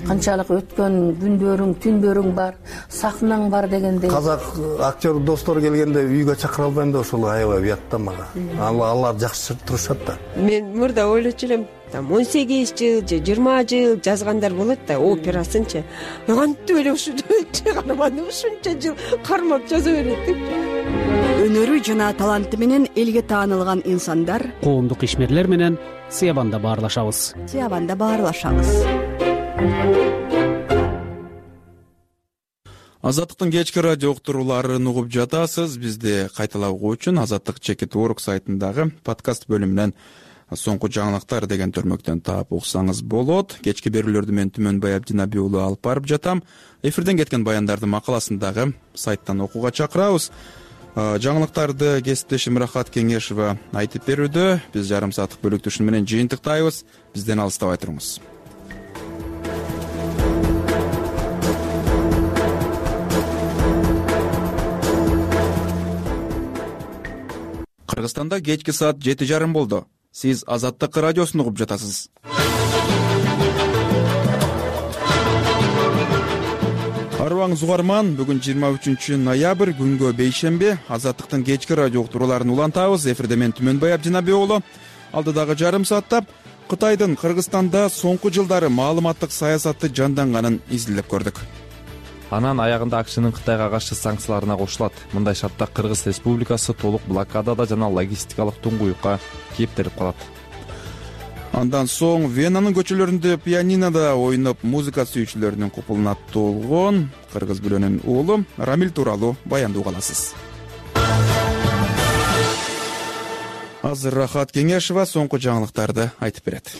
Канчалык өткөн күндөрүң, түндөрүң бар, сахнаң бар дегендей. Казак актер достор келгенде үйгө чакыра албайм да ошол аябай уятта мага. Алар жакшы турушат да. Мен мурда ойлочу элем, там он сегиз жыл же жыйырма жыл жазгандар болот да, операсынчы. Кантип эле ушунча карман ушунча жыл кармап жаза берет деп. Өнөрү жана таланты менен элге таанылган инсандар коомдук ишмерлер менен Сыябанда баарлашабыз. Сыябанда баарлашабыз. Азаттыктын кечки радио уктурууларын угуп жатасыз. Бизди кайталабоо үчүн Азаттык чекит орг сайтындагы подкаст бөлүмүнөн соңку жаңылыктар деген төрмөктөн таап уксаңыз болот. Кечки берүүлөрдү мен Түмөнбай Абдинабий уулу алып барып жатам. Эфирден кеткен баяндарды макаласын дагы сайттан окууга чакырабыз. Жаңылыктарды кесиптешим Рахат Кеңешова айтып берүүдө. Биз жарым сааттык бөлүктүшүн менен жыйынтыктайбыз. Бизден алыстабай туруңуз. Кыргызстанда кечки саат жети жарым болду. Сиз Азаттык радиосун угуп жатасыз. Арыбаңыз угарман, бүгүн жыйырма үчүнчү ноябрь, күнгө бейшемби. Азаттыктын кечки радио уктурууларын улантабыз. Эфирде мен Түмөнбай Абдинабий уулу. Алдыдагы жарым саатта Кытайдын Кыргызстанда соңку жылдары маалыматтык саясаты жанданганын изилдеп көрдүк. Анан аягында АКШнын Кытайга каршы санкцияларына кошулат. Мындай шартта Кыргыз Республикасы толук блокадада жана логистикалык туңгуюкка кептелип калат. Андан соң Венанын көчөлөрүндө пианинода ойноп музыка сүйүүчүлөрүнүн купулуна толгон кыргыз бүлөнүн уулу Рамил тууралуу баянды уга аласыз. Азыр Рахат Кеңешова соңку жаңылыктарды айтып берет.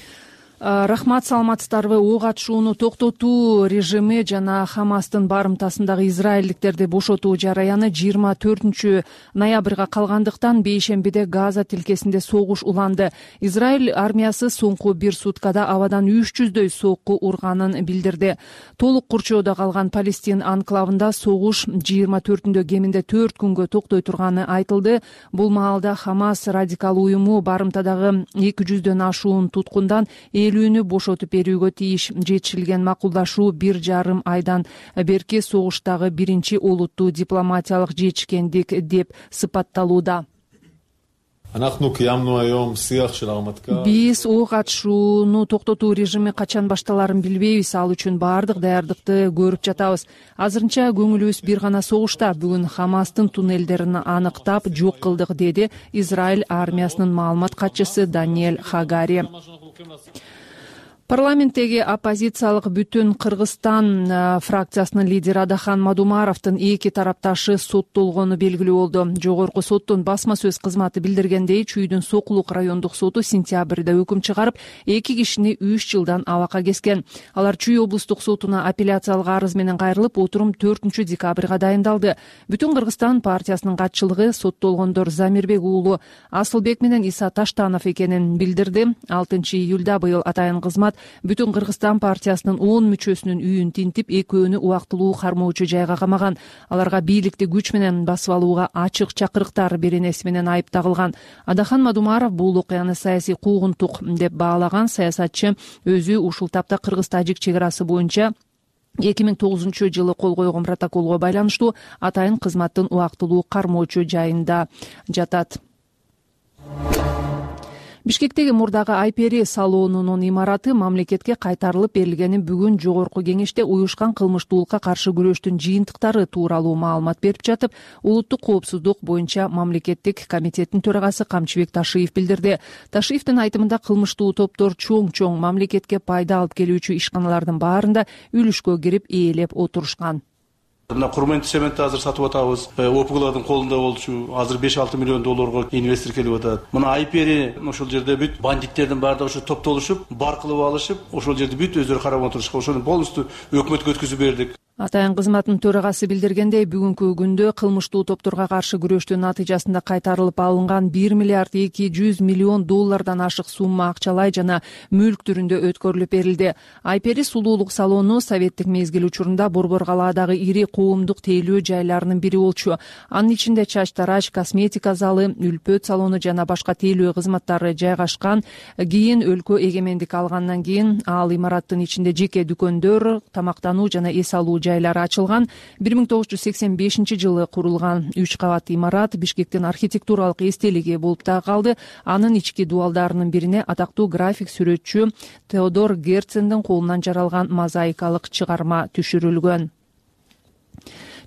Рахмат, саламатсыздарбы. Ок атышууну токтотуу режими жана Хамастын барымтасындагы израилдиктерди бошотуу жараяны жыйырма төртүнчү ноябрга калгандыктан бейшембиде Газа тилкесинде согуш уланды. Израиль армиясы соңку бир суткада абадан үч жүздөй сокку урганын билдирди. Толук курчоодо калган Палестин анклавында согуш жыйырма төртүндө кеминде төрт күнгө токтой турганы айтылды. Бул маалда Хамас радикал уюму барымтадагы эки жүздөн ашуун туткундан элүүнү бошотуп берүүгө тийиш. Жетишилген макулдашуу бир жарым айдан берки согуштагы биринчи олуттуу дипломатиялык жетишкендик деп сыпатталууда. Биз ок атышууну токтотуу режими качан башталарын билбейбиз. Ал үчүн баардык даярдыкты көрүп жатабыз. Азырынча көңүлүбүз бир гана согушта. Бүгүн Хамастын туннелдерин аныктап жок кылдык, деди Израиль армиясынын маалымат катчысы Даниэль Хагари. Парламенттеги оппозициялык Бүтүн Кыргызстан фракциясынын лидери Адахан Мадумаровдун эки тарапташы соттолгону белгилүү болду. Жогорку соттун басма сөз кызматы билдиргендей, Чүйдүн Сокулук райондук соту сентябрда өкүм чыгарып, эки кишини үч жылдан абакка кескен. Алар Чүй облустук сотуна апелляциялык арыз менен кайрылып, отурум төртүнчү декабрга дайындалды. Бүтүн Кыргызстан партиясынын катчылыгы соттолгондор Замирбек уулу Асылбек менен Иса Таштанов экенин билдирди. алтынчы июлда быйыл атайын кызмат Бүтүн Кыргызстан партиясынын он мүчөсүнүн үйүн тинтип, экөөнү убактылуу кармоочу жайга камаган. Аларга бийликти күч менен басып алууга ачык чакырыктар беренеси менен айып тагылган. Адахан Мадумаров бул окуяны саясий куугунтук деп баалаган. Саясатчы өзү ушул тапта Кыргыз-Тажик чек арасы боюнча эки миң тогузунчу жылы кол койгон протоколго байланыштуу атайын кызматтын убактылуу кармоочу жайында жатат. Бишкектеги мурдагы Айпери салонунун имараты мамлекетке кайтарылып берилгени бүгүн жогорку кеңеште уюшкан кылмыштуулукка каршы күрөштүн жыйынтыктары тууралуу маалымат берип жатып, улуттук коопсуздук боюнча мамлекеттик комитеттин төрагасы Камчыбек Ташиев билдирди. Ташиевдин айтымында кылмыштуу топтор чоң-чоң мамлекетке пайда алып келүүчү ишканалардын баарында үлүшкө кирип ээлеп отурушкан. Мына Курментти цементти азыр сатып атабыз. ОПГлардын колунда болчу. Азыр беш алты миллион долларга инвестор келип атат. Мына Айпери ошол жерде бүт бандиттердин баардыгы ошо топтолушуп, бар кылып алышып, ошол жерде бүт өздөрү карап отурушка, ошону полностью өкмөткө өткүзүп бердик. Атайын кызматынын төрагасы билдиргендей, бүгүнкү күндө кылмыштуу топторго каршы күрөштүн натыйжасында кайтарылып алынган бир миллиард эки жүз миллион доллардан ашык сумма акчалай жана мүлк түрүндө өткөрүлүп берилди. Айпери сулуулук салону советтик мезгил учурунда Борбор калаадагы ири коомдук тейлөө жайларынын бири болчу. Анын ичинде чач тарач, косметика залы, үлпөт салону жана башка тейлөө кызматтары жайгашкан. Кийин өлкө эгемендик алгандан кийин ал имараттын ичинде жеке дүкөндөр, тамактануу жана эс алуу жайлары ачылган. бир миң тогуз жүз сексен бешинчи жылы курулган үч кабат имарат Бишкектин архитектуралык эстелиги болуп да калды. Анын ички дубалдарынын бирине атактуу график сүрөтчү Теодор Герцендин колунан жаралган мозаикалык чыгарма түшүрүлгөн.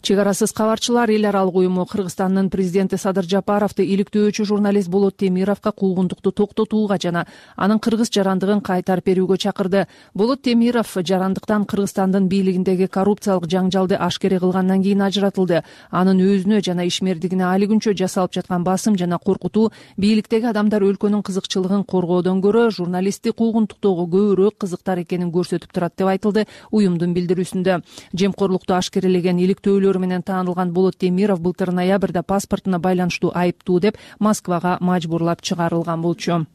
Чек арасыз кабарчылар эл аралык уюму Кыргызстандын президенти Садыр Жапаровду иликтөөчү журналист Болот Темировго куугунтукту токтотууга жана анын кыргыз жарандыгын кайтарып берүүгө чакырды. Болот Темиров жарандыктан Кыргызстандын бийлигиндеги коррупциялык жаңжалды ашкере кылгандан кийин ажыратылды. Анын өзүнө жана ишмердигине али күнчө жасалып жаткан басым жана коркутуу бийликтеги адамдар өлкөнүн кызыкчылыгын коргоодон көрө журналистти куугунтуктоого көбүрөөк кызыктар экенин көрсөтүп турат деп айтылды уюмдун билдирүүсүндө. Жемкорлукту ашкерелеген иликтөөлөр менен таанылган Болот Темиров былтыр ноябрда паспортуна байланыштуу айыптуу деп Москвага мажбурлап чыгарылган болчу.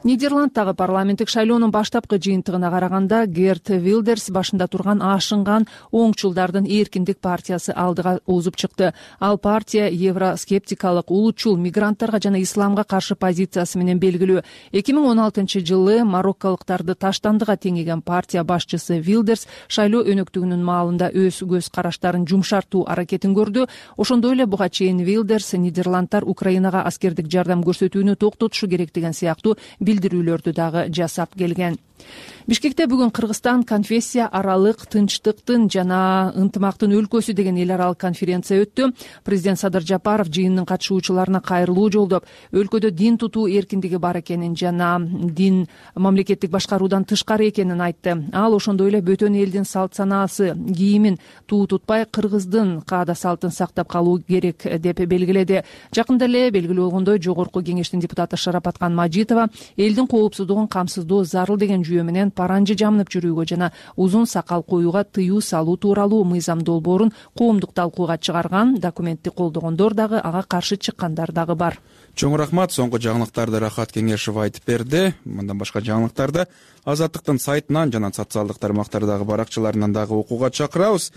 Нидерландтагы парламенттик шайлоонун баштапкы жыйынтыгына караганда Герт Вилдерс башында турган ашынган оңчулдардын Эркиндик партиясы алдыга озуп чыкты. Ал партия евроскептикалык, улутчул, мигранттарга жана исламга каршы позициясы менен белгилүү. эки миң он алтынчы жылы марокколуктарды таштандыга теңеген партия башчысы Вилдерс шайлоо өнөктүгүнүн маалында өз көз караштарын жумшартуу аракетин көрдү. Ошондой эле буга чейин Вилдерс Нидерландтар Украинага аскердик жардам көрсөтүүнү токтотушу керек деген сыяктуу билдирүүлөрдү дагы жасап келген. Бишкекте бүгүн Кыргызстан конфессия аралык тынчтыктын жана ынтымактын өлкөсү деген эл аралык конференция өттү. Президент Садыр Жапаров жыйындын катышуучуларына кайрылуу жолдоп, өлкөдө дин тутуу эркиндиги бар экенин жана дин мамлекеттик башкаруудан тышкары экенин айтты. Ал ошондой эле бөтөн элдин салт санаасы, кийимин туу тутпай кыргыздын каада салтын сактап калуу керек деп белгиледи. Жакында эле белгилүү болгондой Жогорку кеңештин депутаты Шарапаткан Мажитова элдин коопсуздугун камсыздоо зарыл деген жүйө менен паранжы жамынып жүрүүгө жана узун сакал коюуга тыюу салуу тууралуу мыйзам долбоорун коомдук талкууга чыгарган. Документти колдогондор дагы ага каршы чыккандар дагы бар. Чоң рахмат. Соңку жаңылыктарды Рахат Кеңешев айтып берди. Мындан башка жаңылыктарды Азаттыктын сайтынан жана социалдык тармактардагы баракчаларынан дагы окууга чакырабыз.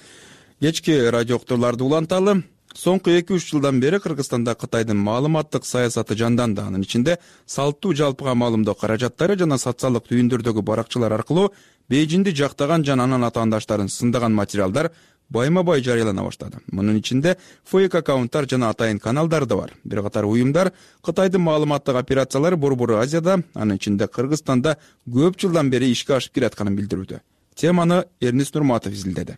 Кечки радио уктурларды уланталы. Соңку эки үч жылдан бери Кыргызстанда Кытайдын маалыматтык саясаты жанданды. Анын ичинде салттуу жалпыга маалымдоо каражаттары жана социалдык түйүндөрдөгү баракчалар аркылуу Бейжиңди жактаган жана анын атаандаштарын сындаган материалдар байма-бай жарыялана баштады. Мунун ичинде фейк аккаунттар жана атайын каналдар да бар. Бир катар уюмдар Кытайдын маалыматтык операциялары Борбор Азияда, анын ичинде Кыргызстанда көп жылдан бери ишке ашып келатканын билдирүүдө. Теманы Эрнис Нурматов изилдеди.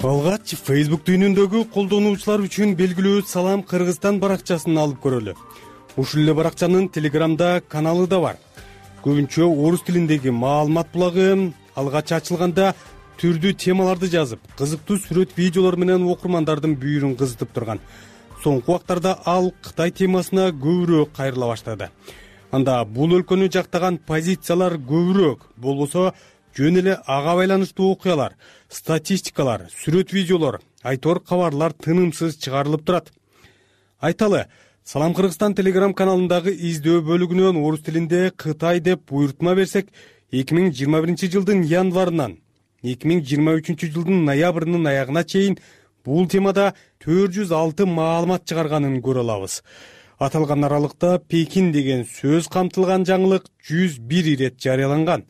Алгач Facebook дүйнөндөгү колдонуучулар үчүн белгилүү Салам Кыргызстан баракчасын алып көрөлү. Ушул эле баракчанын Телеграмда каналы да бар. Көбүнчө орус тилиндеги маалымат булагы алгач ачылганда түрдүү темаларды жазып, кызыктуу сүрөт, видеолор менен окурмандардын бүйүрүн кызытып турган. Соңку убактарда ал Кытай темасына көбүрөөк кайрыла баштады. Анда бул өлкөнү жактаган позициялар көбүрөөк, болбосо жөн эле ага байланыштуу окуялар, статистикалар, сүрөт, видеолор, айтор кабарлар тынымсыз чыгарылып турат. Айталы, Салам Кыргызстан Телеграм каналындагы издөө бөлүгүнөн орус тилинде Кытай деп буйртма берсек, эки миң жыйырма биринчи жылдын январынан эки миң жыйырма үчүнчү жылдын ноябрынын аягына чейин бул темада төрт жүз алты маалымат чыгарганын көрө алабыз. Аталган аралыкта Пекин деген сөз камтылган жаңылык жүз бир ирет жарыяланган.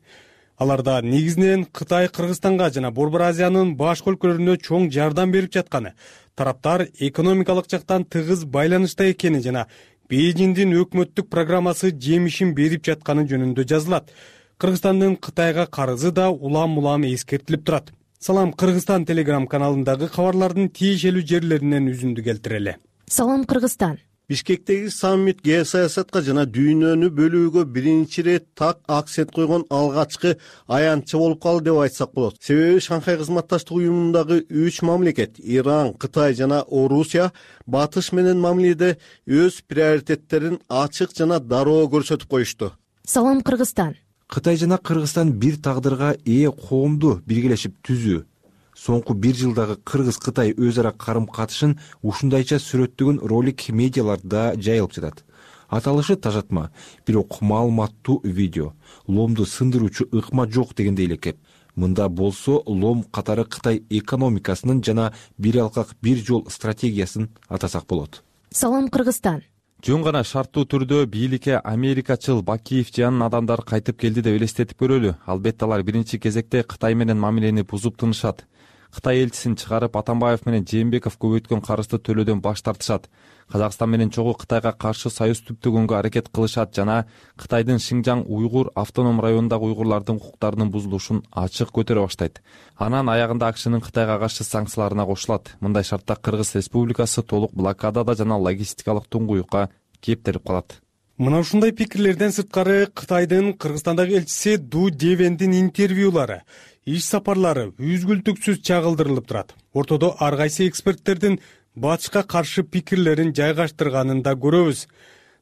Аларда негизинен Кытай Кыргызстанга жана Борбор Азиянын башка өлкөлөрүнө чоң жардам берип жатканы, тараптар экономикалык жактан тыгыз байланышта экени жана Бейжиңдин өкмөттүк программасы жемишин берип жатканы жөнүндө жазылат. Кыргызстандын Кытайга карызы да улам-улам эскертилип турат. Салам Кыргызстан Телеграм каналындагы кабарлардын тиешелүү жерлеринен үзүндү келтирели. Салам Кыргызстан. Бишкектеги саммит геосаясатка жана дүйнөнү бөлүүгө биринчи ирет так акцент койгон алгачкы аянтчы болуп калды деп айтсак болот. Себеби Шанхай кызматташтык уюмундагы үч мамлекет Иран, Кытай жана Орусия батыш менен мамиледе өз приоритеттерин ачык жана дароо көрсөтүп коюшту. Салам Кыргызстан. Кытай жана Кыргызстан бир тагдырга ээ коомду биргелешип түзүү. Соңку бир жылдагы Кыргыз-Кытай өз ара карым-катышын ушундайча сүрөттөгөн ролик медиаларда жайылып жатат. Аталышы тажатма, бирок маалыматтуу видео. Ломду сындыруучу ыкма жок дегенде элекеп. Мында болсо лом катары Кытай экономикасынын жана бир алкак бир жол стратегиясын атасак болот. Салам Кыргызстан. Жөн гана шарттуу түрдө бийликке америкачыл Бакиев жанын адамдар кайтып келди деп элестетип көрөлү. Албетте алар биринчи кезекте Кытай менен мамилени бузуп тынышат. Кытай элчисин чыгарып Атамбаев менен Жээнбеков көбөйткөн карызды төлөөдөн баш тартышат. Казакстан менен чогуу Кытайга каршы союз түптөгөнгө аракет кылышат жана Кытайдын Шинжаң уйгур автоном районундагы уйгурлардын укуктарынын бузулушун ачык көтөрө баштайт. Анан аягында АКШнын Кытайга каршы санкцияларына кошулат. Мындай шартта Кыргыз Республикасы толук блокадада жана логистикалык туңгуюкка кептелип калат. Мына ушундай пикирлерден сырткары Кытайдын Кыргызстандагы элчиси Ду Девендин интервьюлары, иш сапарлары үзгүлтүксүз чагылдырылып турат. Ортодо ар кайсы эксперттердин батышка каршы пикирлерин жайгаштырганын да көрөбүз.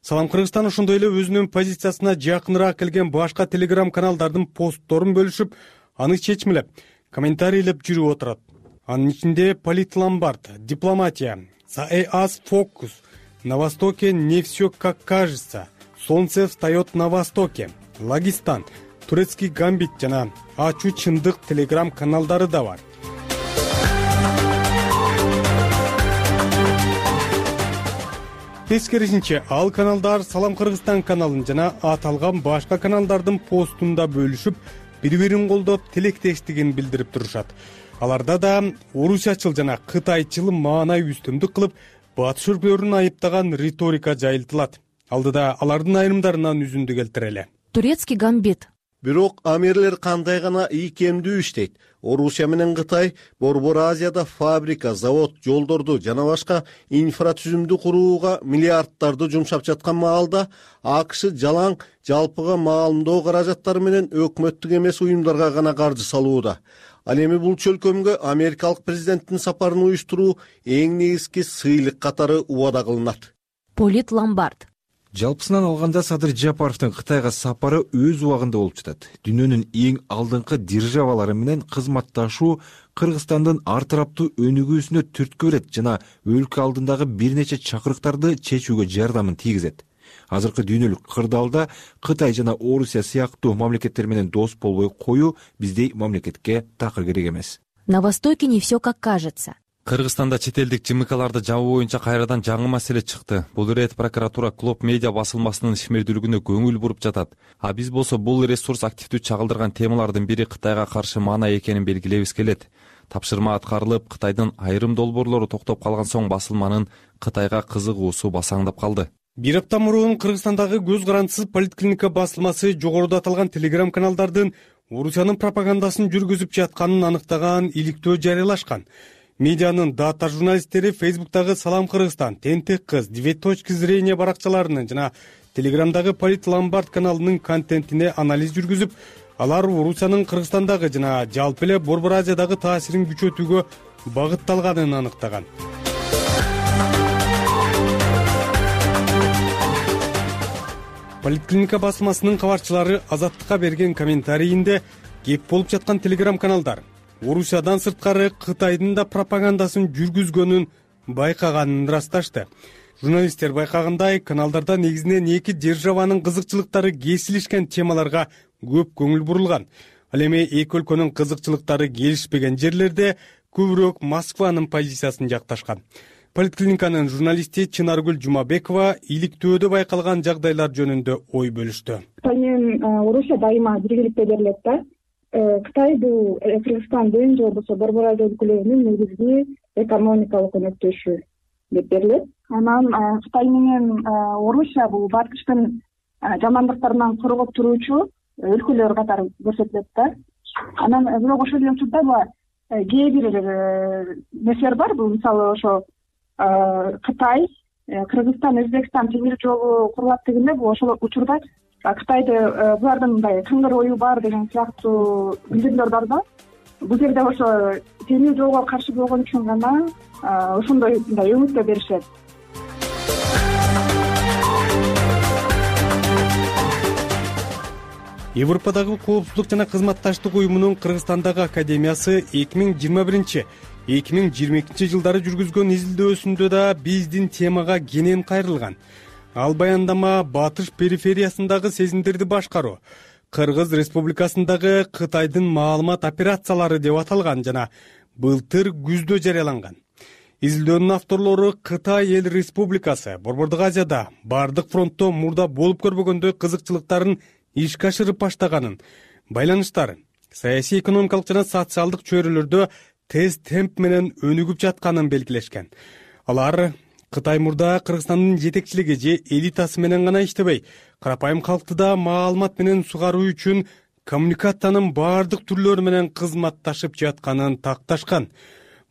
Салам Кыргызстан ошондой эле өзүнүн позициясына жакыныраак келген башка телеграм каналдардын постторун бөлүшүп, аны чечмелеп, комментарийлеп жүрүп отурат. Анын ичинде Политломбард, Дипломатия, САЭАС Фокус, На Востоке не все как кажется, Солнце встает на Востоке, Лагистан, Турецкий гамбит жана Ачуу чындык телеграм каналдары да бар. Тескерисинче, ал каналдар Салам Кыргызстан каналын жана аталган башка каналдардын постунда бөлүшүп, бири-бирин колдоп, тилектештигин билдирип турушат. Аларда да орусиячыл жана кытайчыл маанай үстөмдүк кылып, батыш өлкөлөрүн айыптаган риторика жайылтылат. Алдыда алардын айрымдарынан үзүндү келтирели. Турецкий гамбит. Бирок амирлер кандай гана ийкемдүү иштейт. Орусия менен Кытай Борбор Азияда фабрика, завод, жолдорду жана башка инфратүзүмдү курууга миллиарддарды жумшап жаткан маалда АКШ жалаң жалпыга маалымдоо каражаттары менен өкмөттүк эмес уюмдарга гана каржы салууда. Ал эми бул чөлкөмгө америкалык президенттин сапарын уюштуруу эң негизги сыйлык катары убада кылынат. Политломбард. Жалпысынан алганда Садыр Жапаровдун Кытайга сапары өз убагында болуп жатат. Дүйнөнүн эң алдыңкы державалары менен кызматташуу Кыргызстандын ар тараптуу өнүгүүсүнө түрткү берет жана өлкө алдындагы бир нече чакырыктарды чечүүгө жардамын тийгизет. Азыркы дүйнөлүк кырдаалда Кытай жана Орусия сыяктуу мамлекеттер менен дос болбой коюу биздей мамлекетке такыр керек эмес. На Востоке не все как кажется. Кыргызстанда чет элдик жымыкаларды жабуу боюнча кайрадан жаңы маселе чыкты. Бул ирет прокуратура Клоп медиа басылмасынын ишмердүүлүгүнө көңүл буруп жатат. А биз болсо бул ресурс активдүү чагылдырган темалардын бири Кытайга каршы маанай экенин белгилебиз келет. Тапшырма аткарылып, Кытайдын айрым долбоорлору токтоп калган соң басылманын Кытайга кызыгуусу басаңдап калды. Бир апта мурун Кыргызстандагы көз карандысыз Политклиника басылмасы жогоруда аталган телеграм каналдардын Орусиянын пропагандасын жүргүзүп жатканын аныктаган иликтөө жарыялашкан. Медианын дата журналисттери Фейсбуктагы Салам Кыргызстан, Тентек кыз, Две точки зрения баракчаларынын жана Телеграмдагы Политломбард каналынын контентине анализ жүргүзүп, алар Орусиянын Кыргызстандагы жана жалпы эле Борбор Азиядагы таасирин күчөтүүгө багытталганын аныктаган. Политклиника басылмасынын кабарчылары Азаттыкка берген комментарийинде кеп болуп жаткан телеграм каналдар Орусиядан сырткары Кытайдын да пропагандасын жүргүзгөнүн байкаганын ырасташты. Журналисттер байкагандай, каналдарда негизинен эки державанын кызыкчылыктары кесилишкен темаларга көп көңүл бурулган. Ал эми эки өлкөнүн кызыкчылыктары келишпеген жерлерде көбүрөөк Москванын позициясын жакташкан. Политклиниканын журналисти Чынаргүл Жумабекова иликтөөдө байкалган жагдайлар жөнүндө ой бөлүштү. Кытай менен Орусия дайыма биргеликте берилет да. Кытай бул Кыргызстандын же болбосо Борбор Азия өлкөлөрүнүн негизги экономикалык өнөктөшү деп берилет. Анан Кытай менен Орусия бул батыштын жамандыктарынан коргоп туруучу өлкөлөр катары көрсөтүлөт да. Анан бирок ошол эле учурда кээ бир нерселер бар. Бул мисалы ошо Кытай Кыргызстан Өзбекстан темир жолу курулат дегенде бул ошол учурда Кытайды булардын мындай кыңгыр ою бар деген сыяктуу билдирүүлөр бар да. Бул жерде ошо темир жолго каршы болгон үчүн гана ошондой мындай үмүттө беришет. Европадагы коопсуздук жана кызматташтык уюмунун Кыргызстандагы академиясы эки миң жыйырма биринчи эки миң жыйырма экинчи жылдары жүргүзгөн изилдөөсүндө да биздин темага кенен кайрылган. Ал баяндама батыш перифериясындагы сезимдерди башкаруу, Кыргыз Республикасындагы Кытайдын маалымат операциялары деп аталган жана былтыр күздө жарыяланган. Изилдөөнүн авторлору Кытай Эл Республикасы Борбордук Азияда бардык фронтто мурда болуп көрбөгөндөй кызыкчылыктарын ишке ашырып баштаганын, байланыштарын, саясий, экономикалык жана социалдык чөйрөлөрдө тез темп менен өнүгүп жатканын белгилешкен. Алар Кытай мурда Кыргызстандын жетекчилиги же элитасы менен гана иштебей, карапайым калкты да маалымат менен сугаруу үчүн коммуникациянын бардык түрлөрү менен кызматташып жатканын такташкан.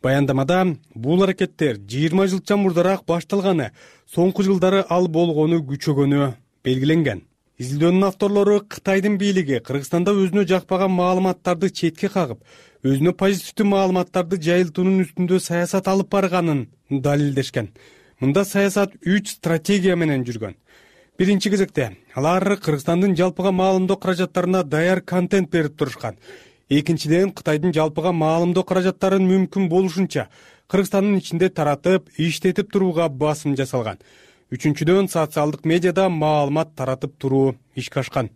Баяндамада бул аракеттер жыйырма жылча мурдараак башталганы, соңку жылдары ал болгону күчөгөнү белгиленген. Изилдөөнүн авторлору Кытайдын бийлиги Кыргызстанда өзүнө жакпаган маалыматтарды четке кагып, өзүнө позитивдүү маалыматтарды жайылтуунун үстүндө саясат алып барганын далилдешкен. Мында саясат үч стратегия менен жүргөн. Биринчи кезекте алар Кыргызстандын жалпыга маалымдоо каражаттарына даяр контент берип турушкан. Экинчиден, Кытайдын жалпыга маалымдоо каражаттарын мүмкүн болушунча Кыргызстандын ичинде таратып, иштетип турууга басым жасалган. Үчүнчүдөн, социалдык медиада маалымат таратып туруу ишке ашкан.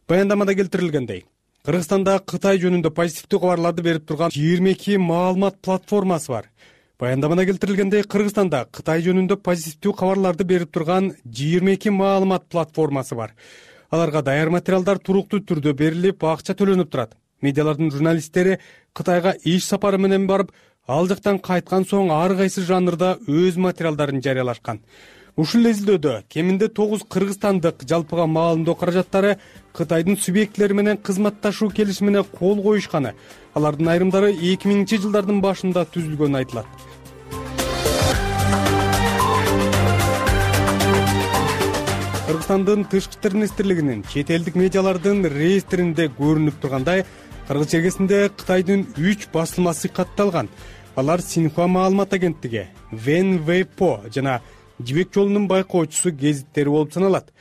Баяндамада келтирилгендей, Кыргызстанда Кытай жөнүндө позитивдүү кабарларды берип турган жыйырма эки маалымат платформасы бар. Баяндамада келтирилгендей, Кыргызстанда Кытай жөнүндө позитивдүү кабарларды берип турган жыйырма эки маалымат платформасы бар. Аларга даяр материалдар туруктуу түрдө берилип, акча төлөнүп турат. Медиалардын журналисттери Кытайга иш сапары менен барып, ал жактан кайткан соң ар кайсы жанрда өз материалдарын жарыялашкан. Ушул изилдөөдө кеминде тогуз кыргызстандык жалпыга маалымдоо каражаттары Кытайдын субъектлери менен кызматташуу келишимине кол коюшканы, алардын айрымдары эки миңинчи жылдардын башында түзүлгөнү айтылат. Кыргызстандын тышкы иштер министрлигинин чет элдик медиалардын реестринде көрүнүп тургандай, кыргыз чергесинде Кытайдын үч басылмасы катталган. Алар Синьхуа маалымат агенттиги, Венвейпо жана Жибек жолунун байкоочусу гезиттери болуп саналат.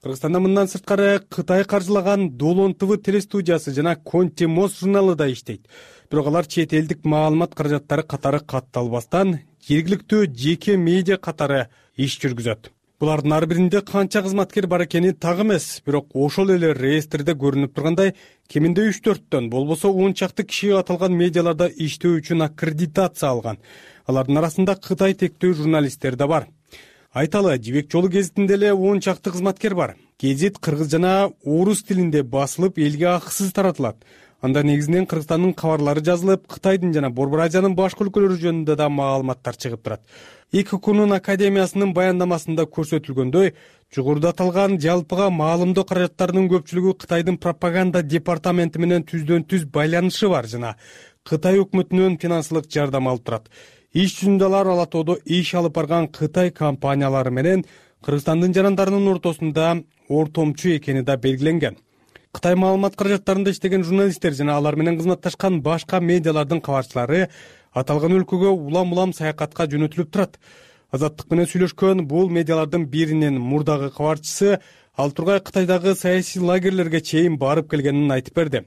Кыргызстанда мындан сырткары Кытай каржылаган Долон ТВ телестудиясы жана Конти Мост журналы да иштейт. Бирок алар чет элдик маалымат каражаттары катары катталбастан, жергиликтүү жеке медиа катары иш жүргүзөт. Булардын ар биринде канча кызматкер бар экени так эмес, бирок ошол эле реестрде көрүнүп тургандай, кеминде үч төрттөн, болбосо он чакты киши аталган медиаларда иштөө үчүн аккредитация алган. Алардын арасында Кытай тектүү журналисттер да бар. Айталы, Жибек жолу гезитинде эле он чакты кызматкер бар. Гезит кыргыз жана орус тилинде басылып, элге акысыз таратылат. Анда негизинен Кыргызстандын кабарлары жазылып, Кытайдын жана Борбор Азиянын башка өлкөлөрү жөнүндө да маалыматтар чыгып турат. ИККнун академиясынын баяндамасында көрсөтүлгөндөй, жогоруда аталган жалпыга маалымдоо каражаттарынын көпчүлүгү Кытайдын пропаганда департаменти менен түздөн түз байланышы бар жана Кытай өкмөтүнөн финансылык жардам алып турат. Иш жүзүндө алар ала тоодо иш алып барган Кытай компаниялары менен Кыргызстандын жарандарынын ортосунда ортомчу экени да белгиленген. Кытай маалымат каражаттарында иштеген журналисттер жана алар менен кызматташкан башка медиалардын кабарчылары аталган өлкөгө улам-улам саякатка жөнөтүлүп турат. Азаттык менен сүйлөшкөн бул медиалардын биринин мурдагы кабарчысы ал тургай Кытайдагы саясий лагерлерге чейин барып келгенин айтып берди.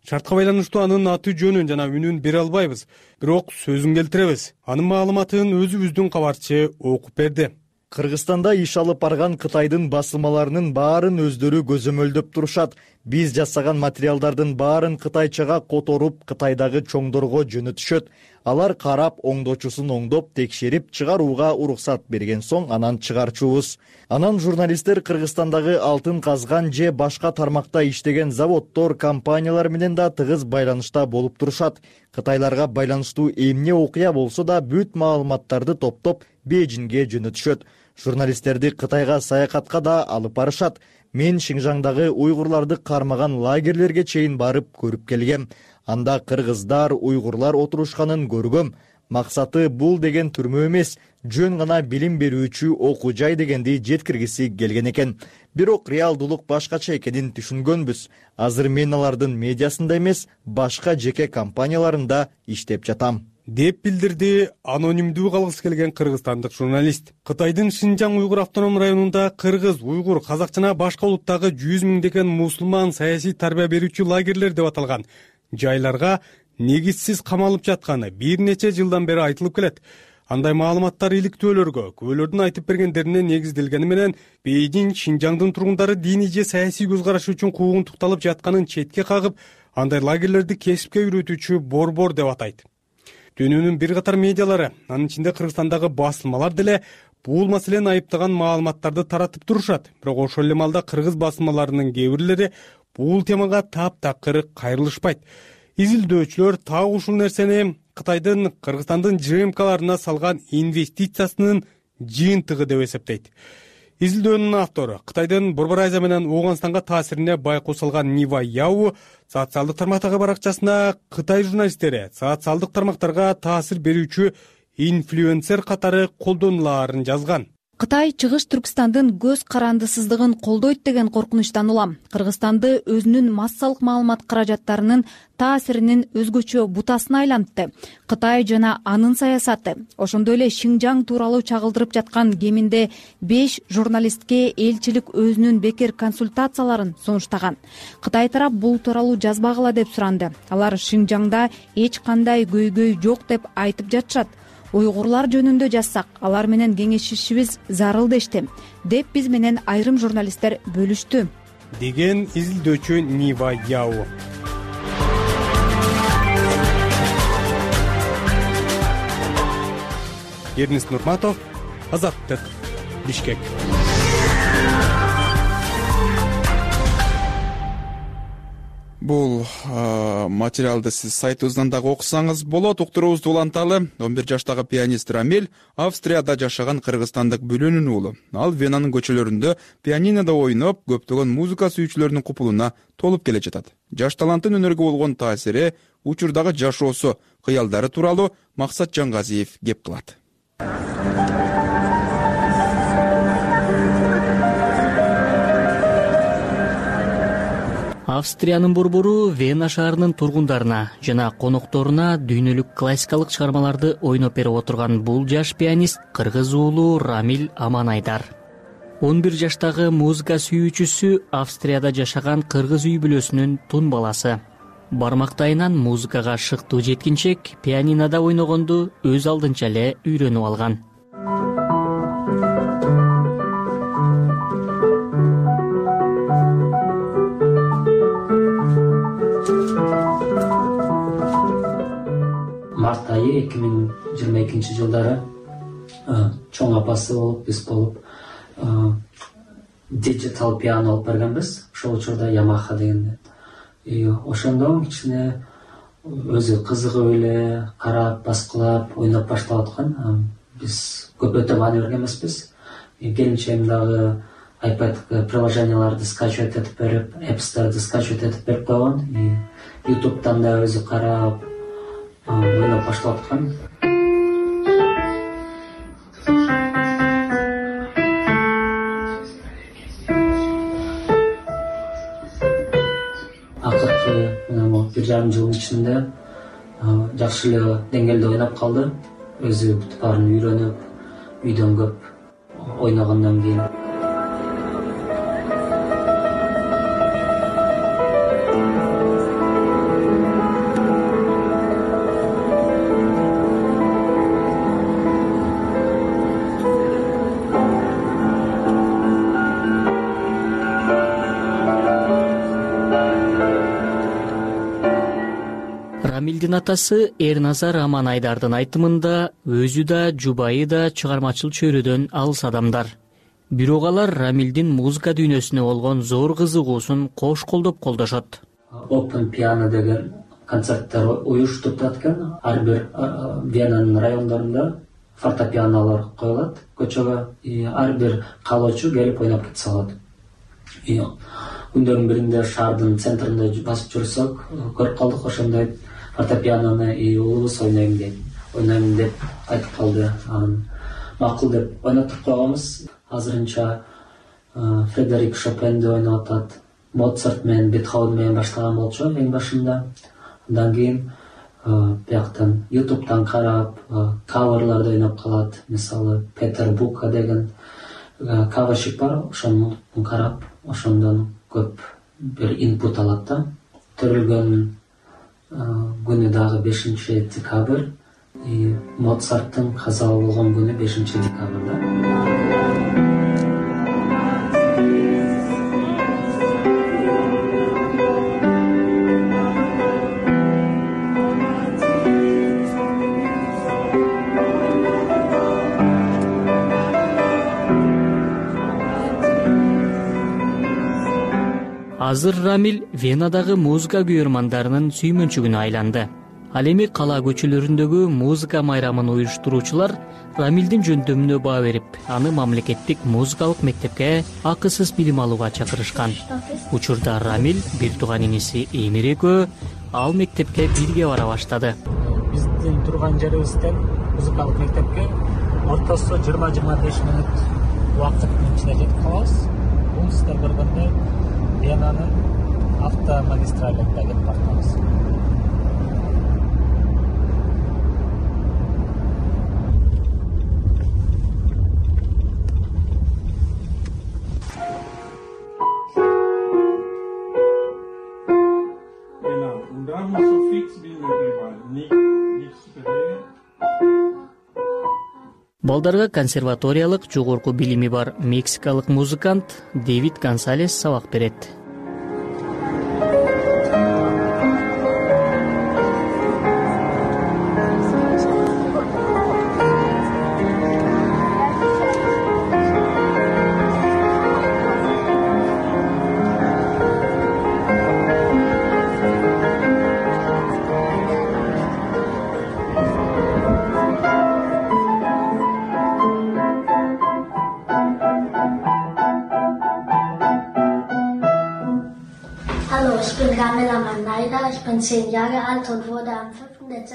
Шартка байланыштуу анын аты жөнүн жана үнүн бере албайбыз, бирок сөзүн келтиребиз. Анын маалыматын өзүбүздүн кабарчы окуп берди. Кыргызстанда иш алып барган Кытайдын басылмаларынын баарын өздөрү көзөмөлдөп турушат. Биз жасаган материалдардын баарын кытайчага которуп, Кытайдагы чоңдорго жөнөтүшөт. Алар карап, оңдочусун оңдоп, текшерип, чыгарууга уруксат берген соң анан чыгарчубуз. Анан журналисттер Кыргызстандагы алтын казган же башка тармакта иштеген заводдор, компаниялар менен да тыгыз байланышта болуп турушат. Кытайларга байланыштуу эмне окуя болсо да бүт маалыматтарды топтоп Бейжиңге жөнөтүшөт. Журналисттерди Кытайга саякатка да алып барышат. Мен Шинжаңдагы уйгурларды кармаган лагерлерге чейин барып көрүп келгем. Анда кыргыздар, уйгурлар отурушканын көргөм. Максаты бул деген түрмө эмес, жөн гана билим берүүчү окуу жай дегенди жеткиргиси келген экен. Бирок реалдуулук башкача экенин түшүнгөнбүз. Азыр мен алардын медиасында эмес, башка жеке компанияларында иштеп жатам, деп билдирди анонимдүү калгысы келген кыргызстандык журналист. Кытайдын Шинжаң уйгур автоном районунда кыргыз, уйгур, казак жана башка улуттагы жүз миңдеген мусулман саясий тарбия берүүчү лагерлер деп аталган жайларга негизсиз камалып жатканы бир нече жылдан бери айтылып келет. Андай маалыматтар иликтөөлөргө, күбөлөрдүн айтып бергендерине негизделгени менен Бейжиң Шинжаңдын тургундары диний же саясий көз карашы үчүн куугунтукталып жатканын четке кагып, андай лагерлерди кесипке үйрөтүүчү борбор деп атайт. Дүйнөнүн бир катар медиалары, анын ичинде Кыргызстандагы басылмалар деле бул маселени айыптаган маалыматтарды таратып турушат. Бирок ошол эле маалда кыргыз басылмаларынын кээ бирлери бул темага таптакыр кайрылышпайт. Изилдөөчүлөр так ушул нерсени Кытайдын Кыргызстандын ЖМКларына салган инвестициясынын жыйынтыгы деп эсептейт. Изилдөөнүн автору Кытайдын Борбор Азия менен Ооганстанга таасирине байкоо салган Нива Яу социалдык тармактагы баракчасына Кытай журналисттери социалдык тармактарга таасир берүүчү инфлюенсер катары колдонулаарын жазган. Кытай Чыгыш Түркстандын көз карандысыздыгын колдойт деген коркунучтан улам Кыргызстанды өзүнүн массалык маалымат каражаттарынын таасиринин өзгөчө бутасына айлантты. Кытай жана анын саясаты, ошондой эле Шинжаң тууралуу чагылдырып жаткан кеминде беш журналистке элчилик өзүнүн бекер консультацияларын сунуштаган. Кытай тарап бул тууралуу жазбагыла деп суранды. Алар Шинжаңда эч кандай көйгөй жок деп айтып жатышат. Уйгурлар жөнүндө жазсак, алар менен кеңешишибиз зарыл дешти, деп биз менен айрым журналисттер бөлүштү, деген изилдөөчү Нива Яу. Эрнис Нурматов, Азаттык, Бишкек. Бул материалды сиз сайтыбыздан дагы окусаңыз болот. Уктуруубузду уланталы. он бир жаштагы пианист Рамиль Австрияда жашаган кыргызстандык бүлөнүн уулу. Ал Венанын көчөлөрүндө пианинода ойноп, көптөгөн музыка сүйүүчүлөрдүн купулуна толуп келе жатат. Жаш таланттын өнөргө болгон таасири, учурдагы жашоосу, кыялдары тууралуу Максат Жангазиев кеп кылат. Австриянын борбору Вена шаарынын тургундарына жана конокторуна дүйнөлүк классикалык чыгармаларды ойноп берип отурган бул жаш пианист кыргыз уулу Рамиль Аманайдар. он бир жаштагы музыка сүйүүчүсү Австрияда жашаган кыргыз үй бүлөсүнүн тун баласы. Бармактайынан музыкага шыктуу жеткинчек пианинода ойногонду өз алдынча эле үйрөнүп алган. Март айы эки миң жыйырма экинчи жылдары чоң апасы болуп, биз болуп диджитал пиано алып бергенбиз. Ошол учурда Yamaha деген. Ошондо кичине өзү кызыгып эле карап, баскылап, ойноп баштап аткан. Биз көп өтө маани берген эмеспиз. Келинчегим дагы iPad приложенияларды скачивать этип берип, Apps'тарды скачивать этип берип койгон. YouTube'дан да өзү карап, ойноп баштап аткан. Акыркы мына бир жарым жылдын ичинде жакшы эле деңгээлде ойноп калды. Өзү бүтүп баарын үйрөнүп, үйдөн көп ойногондон кийин. Рамилдин атасы Эрназар Аманайдардын айтымында өзү да, жубайы да чыгармачыл чөйрөдөн алыс адамдар. Бирок алар Рамилдин музыка дүйнөсүнө болгон зор кызыгуусун кош колдоп колдошот. Open Piano деген концерттер уюштуруп турат экен. Ар бир Венанын райондорунда фортепианолор коюлат көчөгө. Ар бир каалоочу келип ойноп кетсе болот. Күндөрдүн биринде шаардын центринде басып жүрсөк, көрүп калдык ошондой фортепианону уулубуз ойнойм дейт. ойнойм деп айтып калды. Анан макул деп ойнотуп койгонбуз. Азырынча Фредерик Шопенди ойноп атат. Моцарт менен Бетховен менен баштаган болчу эң башында. Андан кийин бияктан ютубтан карап каверларды ойноп калат. Мисалы Петер Бука деген каверщик бар, ошону карап, ошондон көп бир инпут алат да. Төрөлгөн күнү дагы бешинчи декабрь. Моцарттын каза болгон күнү бешинчи декабрда. Азыр Рамиль Венадагы музыка күйөрмандарынын сүймөнчүгүнө айланды. Ал эми кала көчөлөрүндөгү музыка майрамын уюштуруучулар Рамилдин жөндөмүнө баа берип, аны мамлекеттик музыкалык мектепке акысыз билим алууга чакырышкан. Учурда Рамиль бир тууган иниси Эмир экөө ал мектепке бирге бара баштады. Биздин турган жерибизден музыкалык мектепке ортосу жыйырма жыйырма беш мүнөт убакыттын ичинде жетип калабыз. Бул сиздер көргөндөй Венанын автомагистралында кетип бартабыз. Балдарга консерваториялык жогорку билими бар мексикалык музыкант Дэвид Гонсалес сабак берет.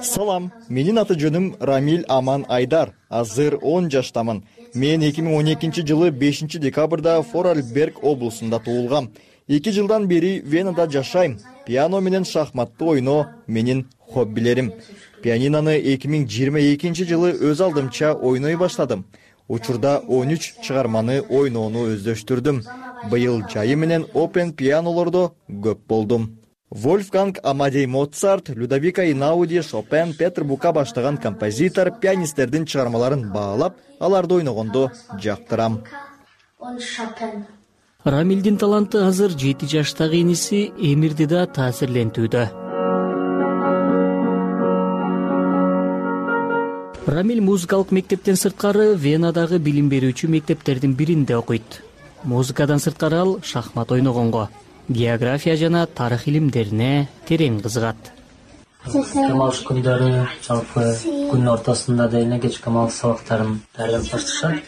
Салам, менин аты жөнүм Рамиль Аман Айдар. Азыр он жаштамын. Мен эки миң он экинчи жылы бешинчи декабрда Форарльберг облусунда туулгам. эки жылдан бери Венада жашайм. Пиано менен шахматты ойноо менин хоббилерим. Пианинону эки миң жыйырма экинчи жылы өз алдымча ойной баштадым. Учурда он үч чыгарманы ойноону өздөштүрдүм. Быйыл жайы менен опен пианолордо көп болдум. Вольфганг Амадей Моцарт, Людовика Эйнауди, Шопен, Петер Бука баштаган композитор пианисттердин чыгармаларын баалап, аларды ойногондо жактырам. Рамилдин таланты азыр жети жаштагы иниси Эмирди да таасирлентүүдө. Рамиль музыкалык мектептен сырткары Венадагы билим берүүчү мектептердин биринде окуйт. Музыкадан сырткары ал шахмат ойногонго, география жана тарых илимдерине терең кызыгат. Демалыш күндөрү жалпы күн ортосунда деле кечки демалыш сабактарын даярдап башташат.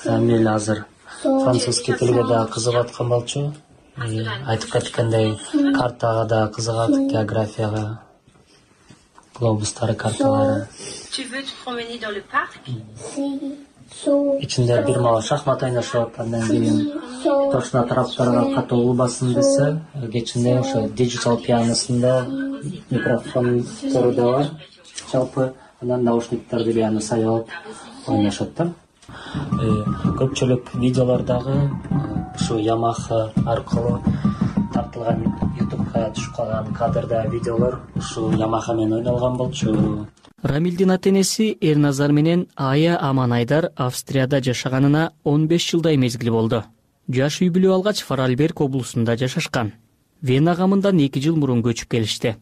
Рамиль азыр французский тилге да кызыгып аткан болчу. Айтып кеткендей, картага да кызыгат, географияга, глобустары, карталары. Ичинде бир мага шахмат ойношот, андан кийин точно тараптарга катуу басым десе, кечинде ошо диджитал пианосунда микрофондору да бар. Жалпы анан наушниктарды пиано сайлап ойношот да. Көпчүлүк видеолордогу ушу Yamaha аркылуу тартылган ютубка түшүп калган кадрда видеолор ушу Yamaha менен ойнолгон болчу. Рамилдин ата-энеси Эрназар менен Ая Аман Айдар Австрияда жашаганына он беш жылдай мезгил болду. Жаш үй бүлө алгач Форарльберг облусунда жашашкан. Вена гамындан эки жыл мурун көчүп келишти.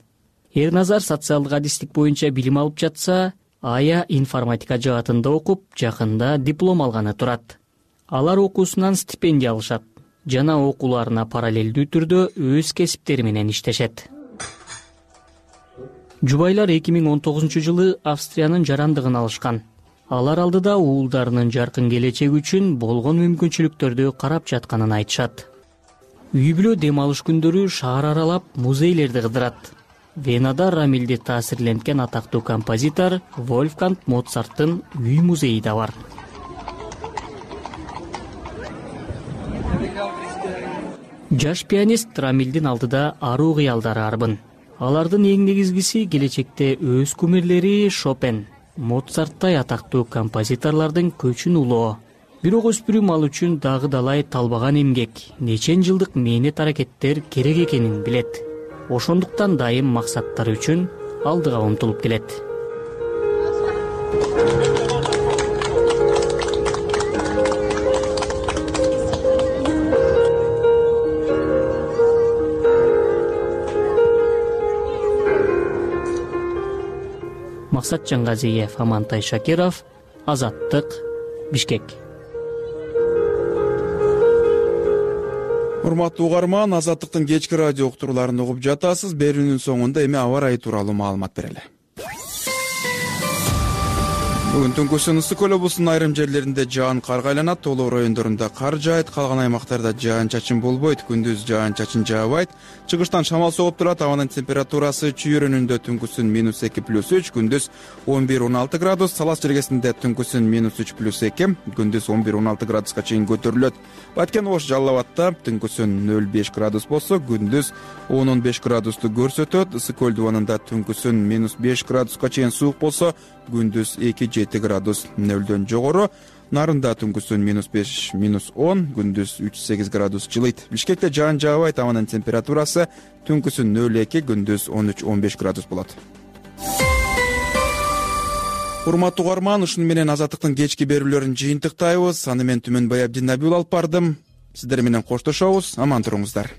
Эрназар социалдык адистик боюнча билим алып жатса, Ая информатика жаатында окуп, жакында диплом алганы турат. Алар окуусунан стипендия алышат жана окууларына параллелдүү түрдө өз кесиптери менен иштешет. Жубайлар эки миң он тогузунчу жылы Австриянын жарандыгын алышкан. Алар алдыда уулдарынын жаркын келечеги үчүн болгон мүмкүнчүлүктөрдү карап жатканын айтышат. Үй бүлө дем алыш күндөрү шаар аралап музейлерди кыдырат. Венада Рамилди таасирленткен атактуу композитор Вольфганг Моцарттын үй музейи да бар. Жаш пианист Рамилдин алдыда аруу кыялдары арбын. Алардын эң негизгиси келечекте өз кумирлери Шопен, Моцарттай атактуу композиторлордун көчүн улоо. Бирок өспүрүм ал үчүн дагы далай талбаган эмгек, нечен жылдык мээнет аракеттер керек экенин билет. Ошондуктан дайым максаттары үчүн алдыга умтулуп келет. Максат Жангазиев, Амантай Шакиров, Азаттык, Бишкек. Урматтуу угарман, Азаттыктын кечки радио уктурууларын угуп жатасыз. Берүүнүн соңунда эми аба ырайы тууралуу маалымат берели. Бүгүн түнкүсүн ысык көл облусунун айрым жерлеринде жаан карга айланат, тоолоо райондорунда кар жаайт, калган аймактарда жаан чачын болбойт, күндүз жаан чачын жаабайт. Чыгыштан шамал согуп турат, абанын температурасы чүй районунда түнкүсүн минус эки плюс үч, күндүз он бир он алты градус, Салас жергесинде түнкүсүн минус үч плюс эки, күндүз он бир он алты градуска чейин көтөрүлөт. Баткен Ош Жалал Абадта түнкүсүн нөл беш градус болсо, күндүз он он беш градусту көрсөтөт. Ысык көл дубанында түнкүсүн минус беш градуска чейин суук болсо, күндүз эки жети градус нөлдөн жогору. Нарында түнкүсүн минус беш минус он, күндүз үч сегиз градус жылыйт. Бишкекте жаан жаабайт, абанын температурасы түнкүсүн нөл эки, күндүз он үч он беш градус болот. Урматтуу угарман, ушуну менен Азаттыктын кечки берүүлөрүн жыйынтыктайбыз. Аны мен Түмөнбай Абдинабиул алып бардым. Сиздер менен коштошобуз. Аман туруңуздар.